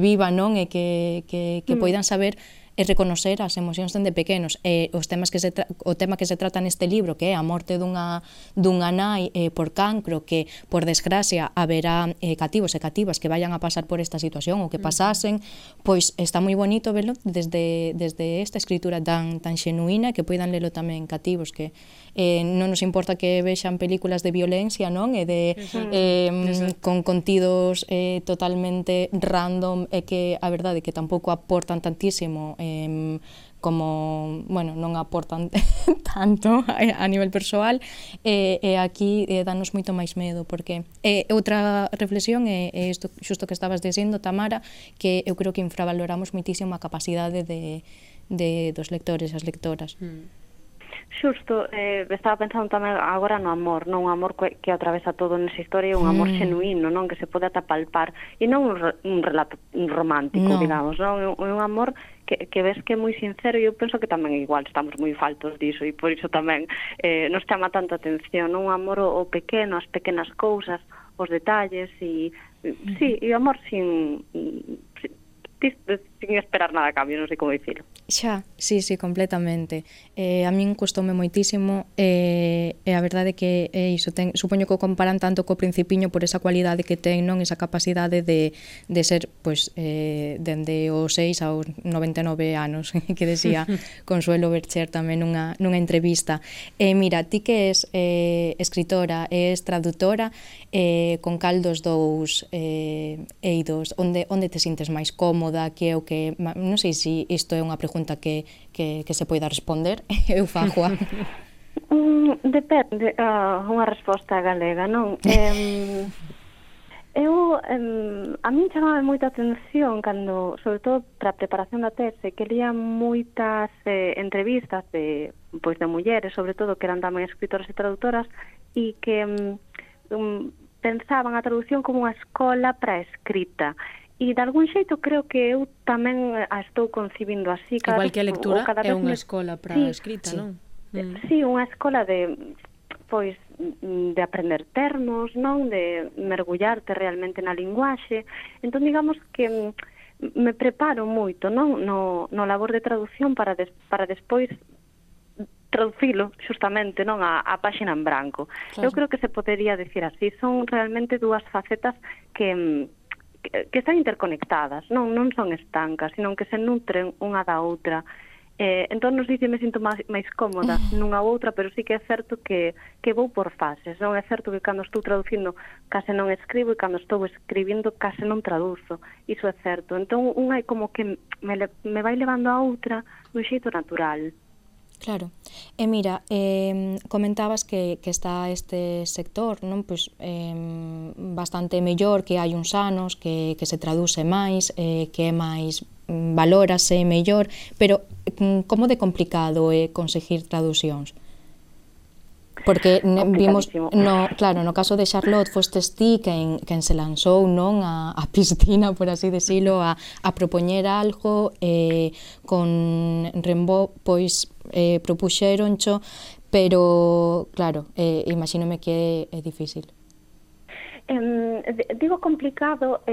viva, non? E que poidan saber e reconocer as emocións dende pequenos. O tema que se trata neste libro, que é a morte dunha nai por cancro, que por desgracia haberá cativos e cativas que vayan a pasar por esta situación ou que pasasen, pois está moi bonito verlo desde esta escritura tan xenuína, que poidan lelo tamén cativos, que non nos importa que vexan películas de violencia, non? E con contidos totalmente random, e que a verdade que tampouco aportan tantísimo, como, bueno, non aportan tanto a nivel persoal, e aquí danos moito máis medo, porque outra reflexión é isto xusto que estabas dicindo, Tamara, que eu creo que infravaloramos moitísimo a capacidade dos lectores e as lectoras. Xusto, estaba pensando tamén agora no amor, non? Un amor que atravesa todo nesa historia, un amor xenuíno, non? Que se pode ata palpar, e non un relato romántico, digamos, non? Un amor que ves que é moi sincero, e eu penso que tamén igual estamos moi faltos diso, e por iso tamén nos chama tanto a atención, non? Un amor ao pequeno, as pequenas cousas, os detalles, e sí, e o amor sin sin esperar nada a cambio, non sei como dicilo. Xa, sí, completamente. A min custoume moitísimo e a verdade é que iso supoño que o comparan tanto co Principiño por esa cualidade que ten, non, esa capacidade de ser, pois, dende os 6 aos 99 anos, que decía Consuelo Bercher tamén nunha entrevista. Mira, ti que és escritora, és traductora, con cal dos dous eidos, onde te sintes máis cómoda, que é o que, non sei se isto é unha pregunta que se poida responder, eu fagoa. Depende, unha resposta galega, non? A min chamaba moita atención cando, sobre todo para a preparación da tese, que lía moitas entrevistas de mulleres, sobre todo, que eran tamén escritoras e traductoras, e que pensaban a traducción como unha escola para a escrita. E de algún xeito creo que eu tamén a estou concibindo así. Igual que a lectura é unha escola para a escrita, non? Sí, unha escola de aprender termos, non? De mergullarte realmente na linguaxe. Entón, digamos que me preparo moito, non? No labor de traducción para despois traducilo xustamente, non, a páxina en branco. Claro. Eu creo que se podería decir así, son realmente dúas facetas que están interconectadas, non son estancas, sino que se nutren unha da outra. Entón, non sei se me sinto máis cómoda nunha ou outra, pero sí que é certo que vou por fases, non? É certo que cando estou traducindo case non escribo e cando estou escribindo case non traduzo, iso é certo. Entón, unha é como que me vai levando a outra dun xeito natural. Claro. E mira, comentabas que está este sector, non? Pois bastante mellor, que hai uns anos, que se traduce máis, que é máis valórase mellor, pero como de complicado é conseguir traducións? Porque vimos, no caso de Charlotte, fostes ti quen se lanzou, non, a piscina, por así decirlo, a propoñer algo, con Rimbaud, pois, propuxéroncho, pero, claro, imagínome que é difícil. Digo complicado,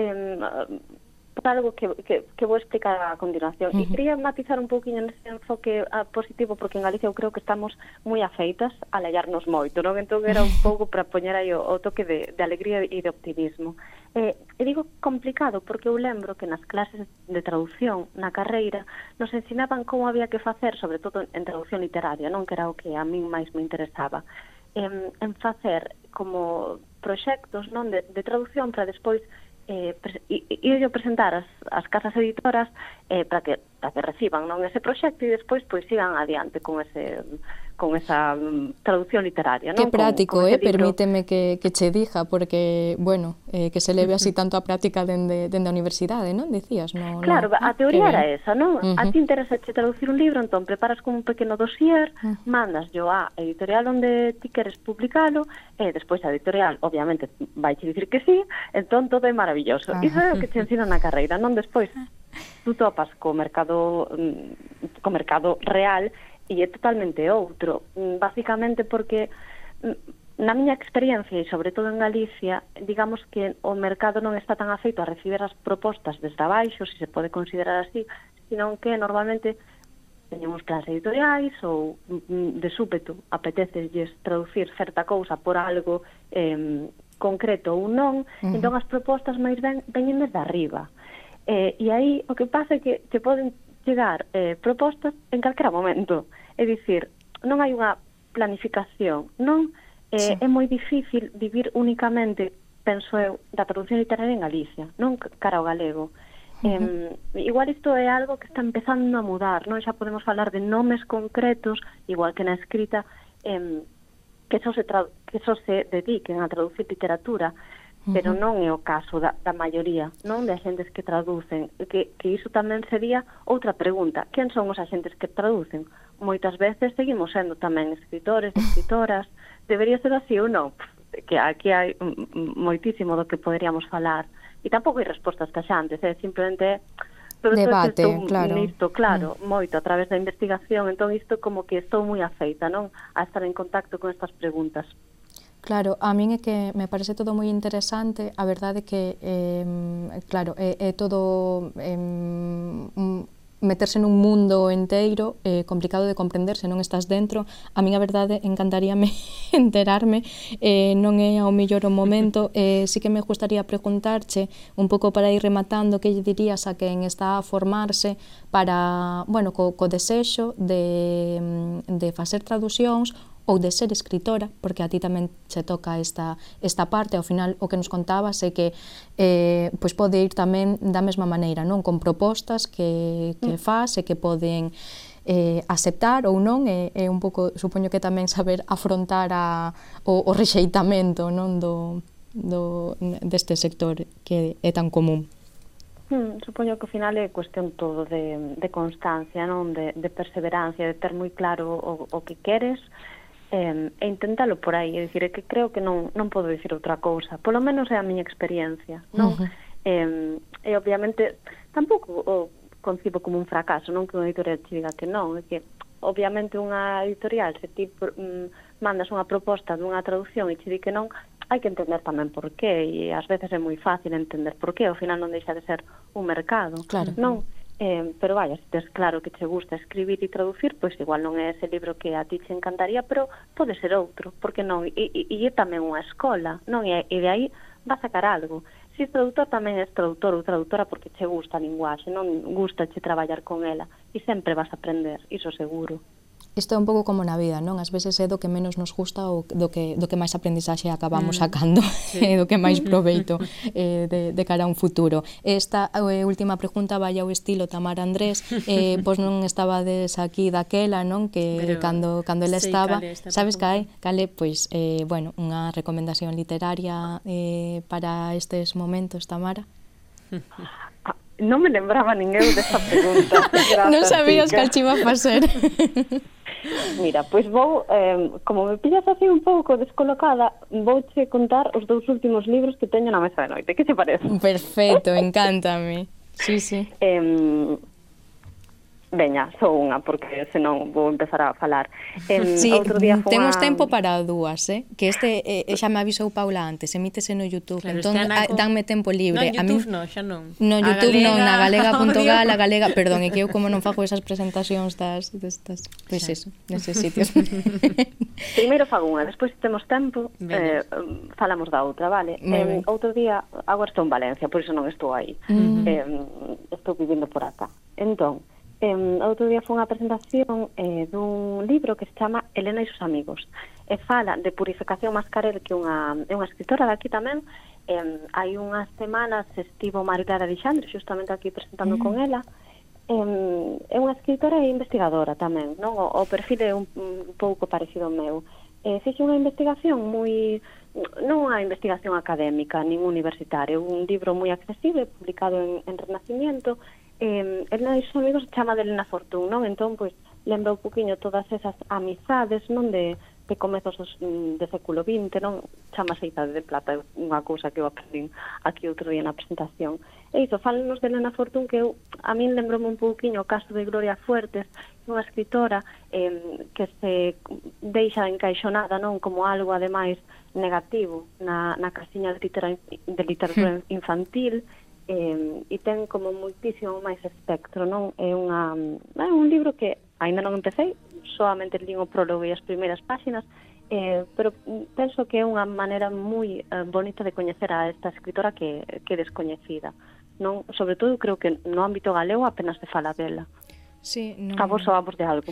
por algo que vou explicar a continuación. E quería matizar un pouquinho nese enfoque positivo, porque en Galicia eu creo que estamos moi afeitas a lallarnos moito, non? Entón era un pouco para poñer aí o toque de alegría e de optimismo. E digo complicado porque eu lembro que nas clases de traducción na carreira nos ensinaban como había que facer, sobre todo en traducción literaria, non, que era o que a min máis me interesaba, en facer como proxectos, non, de traducción para despois e presentar as casas editoras para que reciban, non, ese proxecto e despois pois sigan adiante con esa traducción literaria, non? Que práctico, permíteme que che diga, porque, bueno, que se leve así tanto a práctica dende a universidade, non? Dicías, non? Claro, a teoría era esa, non? A ti interesa traducir un libro, entón preparas como un pequeno dossier, mandas yo a editorial onde ti queres publicalo, e despois a editorial, obviamente, vai che dicir que sí, entón todo é maravilloso. Iso é o que te ensina na carreira, non? Despois, tú topas co mercado real e é totalmente outro, basicamente porque na miña experiencia e sobre todo en Galicia, digamos que o mercado non está tan afeito a recibir as propostas desde abaixo, se pode considerar así, sino que normalmente teñemos plans editoriais ou de súpeto apetecelles traducir certa cousa por algo concreto ou non, entón as propostas máis veñen desde arriba. E aí o que pasa é que te poden chegar propostas en calquera momento. É dicir, non hai unha planificación, non? É moi difícil vivir únicamente, penso eu, da traducción literaria en Galicia, non cara ao galego. Igual isto é algo que está empezando a mudar, non? Xa podemos falar de nomes concretos, igual que na escrita, que só se dediquen a traducir literatura, pero non é o caso da maioría, non, de axentes que traducen, que iso tamén sería outra pregunta. Quen son os axentes que traducen? Moitas veces seguimos sendo tamén escritores, escritoras, debería ser así ou non? Que aquí hai moitísimo do que poderíamos falar, e tampouco hai respostas taxantes, simplemente debate, claro. Nisto, claro, moito a través da investigación, entón isto como que estou moi afeita, non, a estar en contacto con estas preguntas. Claro, a min é que me parece todo moi interesante, a verdade é que, claro, é todo meterse nun mundo enteiro complicado de comprender se non estás dentro. A min a verdade encantaríame enterarme, non é ao mellor o momento. Sí que me gustaría preguntarche un pouco para ir rematando que lle dirías a quen está a formarse para, bueno, co desexo de facer traducións ou de ser escritora, porque a ti tamén che toca esta parte. Ao final o que nos contabas é que pois pode ir tamén da mesma maneira, non? Con propostas que faz e que poden aceptar ou non, é un pouco, supoño que tamén saber afrontar o rexeitamento, non, deste sector que é tan común. Supoño que ao final é cuestión todo de constancia, non? De perseverancia, de ter moi claro o que queres, e intentalo por aí. É dicir, é que creo que non podo dicir outra cousa, polo menos é a miña experiencia, non? E obviamente tampouco o concibo como un fracaso, non que unha editorial te diga que non, é que obviamente unha editorial, se ti mandas unha proposta dunha traducción e te di que non, hai que entender tamén por qué, e ás veces é moi fácil entender por qué, ao final non deixa de ser un mercado, claro. Non? Pero vaya, se tes claro que che gusta escribir e traducir, pois igual non é ese libro que a ti te encantaría, pero pode ser outro, porque non? E é tamén unha escola, non? E de aí va a sacar algo. Se es traductor, tamén és traductor ou traductora porque che gusta a linguaxe, non gusta che traballar con ela, e sempre vas a aprender, iso seguro. Isto é un pouco como na vida, non? Ás veces é do que menos nos gusta ou do que máis aprendizaxe acabamos sacando, do que máis proveito de cara a un futuro. Esta última pregunta vai ao estilo Tamara Andrés, pois non estabades aquí daquela, non? Que cando ela estaba, sabes cale, pois, bueno, unha recomendación literaria para estes momentos, Tamara? Non me lembraba ninguén desta pregunta. Non sabías que chiva a facer. Mira, pois vou, como me pillas así un pouco descolocada, vouche contar os 2 últimos libros que teño na mesa de noite. Que te parece? Perfecto, encántame. Sí. Veña, só unha, porque senón vou empezar a falar. Sí, temos tempo para dúas, que xa me avisou Paula antes, emítese no YouTube, claro, entón danme tempo libre. No, YouTube non, xa non. No, YouTube non, na galega.gal, a galega, perdón, é que eu como non fago esas presentacións destas, pois eso, neses sitios. Primeiro fago unha, despois se temos tempo, falamos da outra, vale? Outro día, agora estou en Valencia, por iso non estou aí. Estou vivindo por acá. Entón, outro día foi unha presentación dun libro que se chama Elena e sus amigos, e fala de Purificación Mascarell, que é unha escritora de aquí tamén. Hai unhas semanas estivo Marilara Alexandre xustamente aquí presentando con ela. É unha escritora e investigadora tamén, non? O perfil é un pouco parecido ao meu. Fixe unha investigación moi, non unha investigación académica nin universitaria, un libro moi accesible publicado en Renacimiento. Elena e os amigos se chama de Elena Fortún, non? Entón, pois, lembra un poquinho todas esas amizades, non? De comezos do século XX, non? Chamase Idade de Plata, unha cousa que eu aprendín aquí outro día na presentación. E iso, fálenos de Elena Fortún, que a min lembrome un pouquinho o caso de Gloria Fuertes, unha escritora que se deixa encaixonada, non? Como algo, ademais, negativo na casiña de literatura infantil, e ten como moitísimo máis espectro, non? É un libro que aínda non empecé, solamente lín o prólogo e as primeiras páxinas, pero penso que é unha maneira moi bonita de coñecer a esta escritora que é descoñecida, non? Sobre todo, creo que no ámbito galego apenas se fala dela. Sí, non... A vos soamos de algo.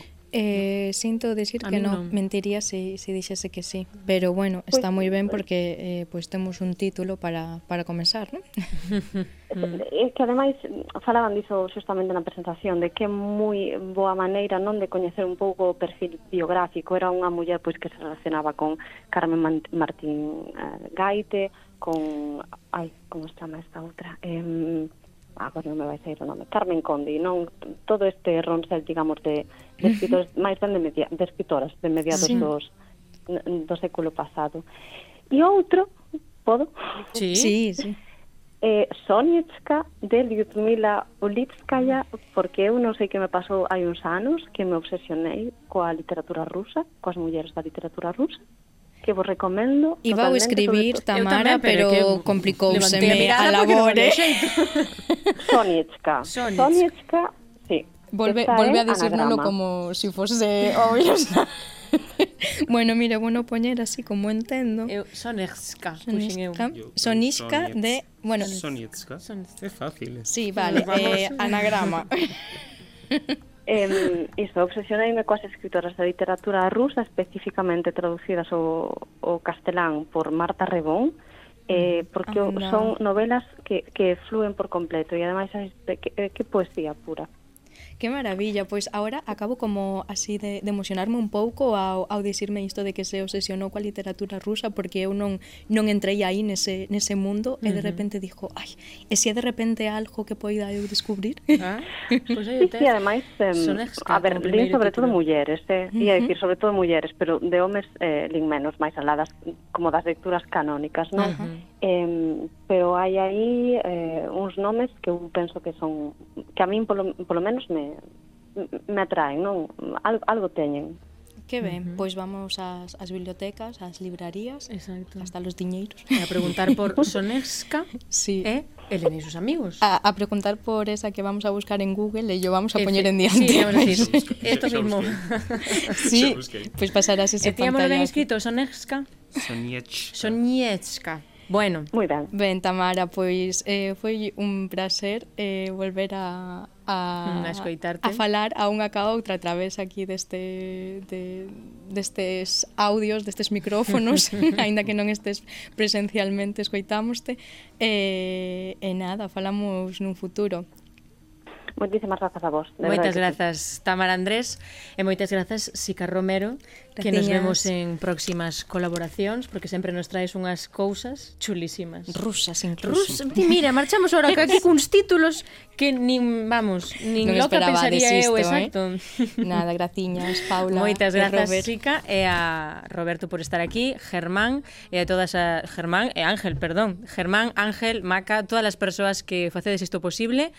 Sinto decir que non, mentiría se dixese que sí, pero bueno, está moi ben porque pois temos un título para comenzar, non? É que ademais falaban diso justamente na presentación, de que é moi boa maneira, non, de coñecer un pouco o perfil biográfico. Era unha muller pois que se relacionaba con Carmen Martín Gaite, con como se chama esta outra? Agora non me vai sair o nome, Carmen Conde, non? Todo este ronsel, digamos, de escritores, máis ben de escritoras de mediados do século pasado. E outro, podo? Sí. Soniechka, de Lyudmila Ulitskaya, porque eu non sei que me pasou hai uns anos que me obsesionei coa literatura rusa, coas mulleres da literatura rusa. que vos recomendo. Iba a escribir Tamara, pero complicouseme a labore. Soniechka. Soniechka, sí. Volve a decírnoslo como si fose obvio. Bueno, mira, bueno poñer así como entendo. Sonechka. Sonishka de... Bueno, Soniechka. É fácil. Sí, vale. Anagrama. Iso, obsesioneime coas escritoras de literatura rusa, especificamente traducidas ao castelán por Marta Rebón, porque son novelas que flúen por completo e ademais que poesía pura. Que maravilla, pois agora acabo como así de emocionarme un pouco ao dicirme isto de que se obsesionou coa literatura rusa, porque eu non entrei aí nese mundo e de repente dixo, ai, e se de repente algo que poida eu descubrir? Pois aí te. E ademais, a ver, lín sobre todo mulleres, ia dicir sobre todo mulleres, pero de homes lín menos, máis aladas como das lecturas canónicas, non? Pero hai aí uns nomes que eu penso que son, que a min polo menos me atraen, non? Algo teñen. Que ben, pois vamos ás bibliotecas, ás librarías, hasta los diñeiros. A preguntar por Sonechka e Elena e sus amigos. A preguntar por esa que vamos a buscar en Google e yo vamos a poñer en diante. Sí, vamos a decir, esto mismo. Sí, pois pasarás ese pantallazo. Tíamos ben escrito, Sonechka? Soniechka. Bueno. Moi ben. Ben, Tamara, pois foi un placer volver a escoitarte, a falar a unha ca outra a través aquí destes audios, destes micrófonos, aínda que non estés presencialmente, escoitámoste, e nada, falamos nun futuro. Moitísimas grazas a vos. Moitas grazas, Tamara Andrés, e moitas grazas, Sica Romero, que nos vemos en próximas colaboracións, porque sempre nos traes unhas cousas chulísimas. Rusas, incluso. Mira, marchamos ahora aquí cuns títulos que nin loca pensaría eu, exacto. Nada, graciñas, Paula. Moitas grazas, Sica, e a Roberto por estar aquí, Germán, e a todas Germán, Ángel, Maca, todas as persoas que facedes isto posible,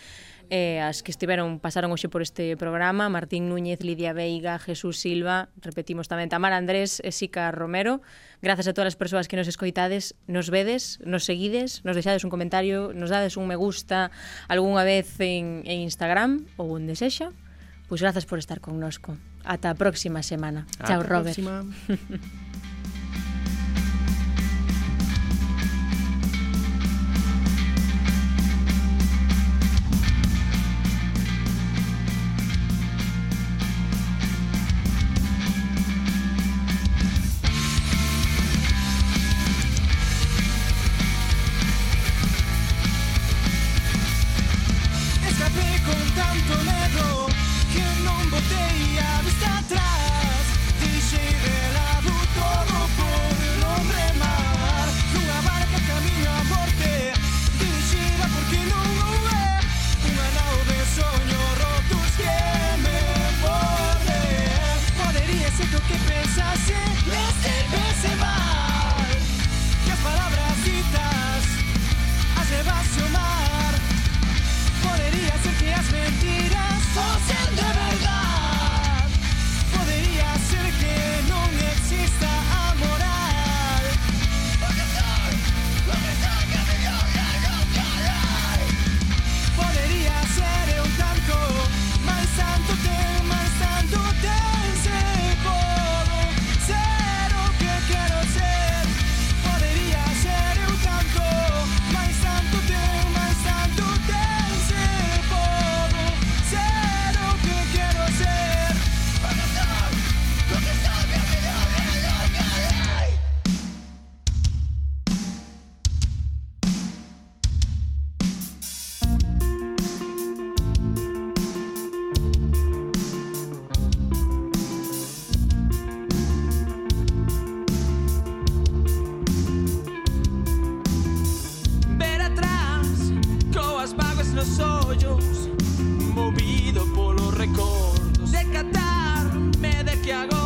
as que pasaron hoxe por este programa, Martín Núñez, Lidia Veiga, Jesús Silva, repetimos tamén Tamara Andrés e Sica Romero. Grazas a todas as persoas que nos escoitades, nos vedes, nos seguides, nos deixades un comentario, nos dades un me gusta algunha vez en Instagram ou onde sexa. Pois grazas por estar connosco. Ata a próxima semana. Chao, Robert. movido por los recuerdos de catarme de que hago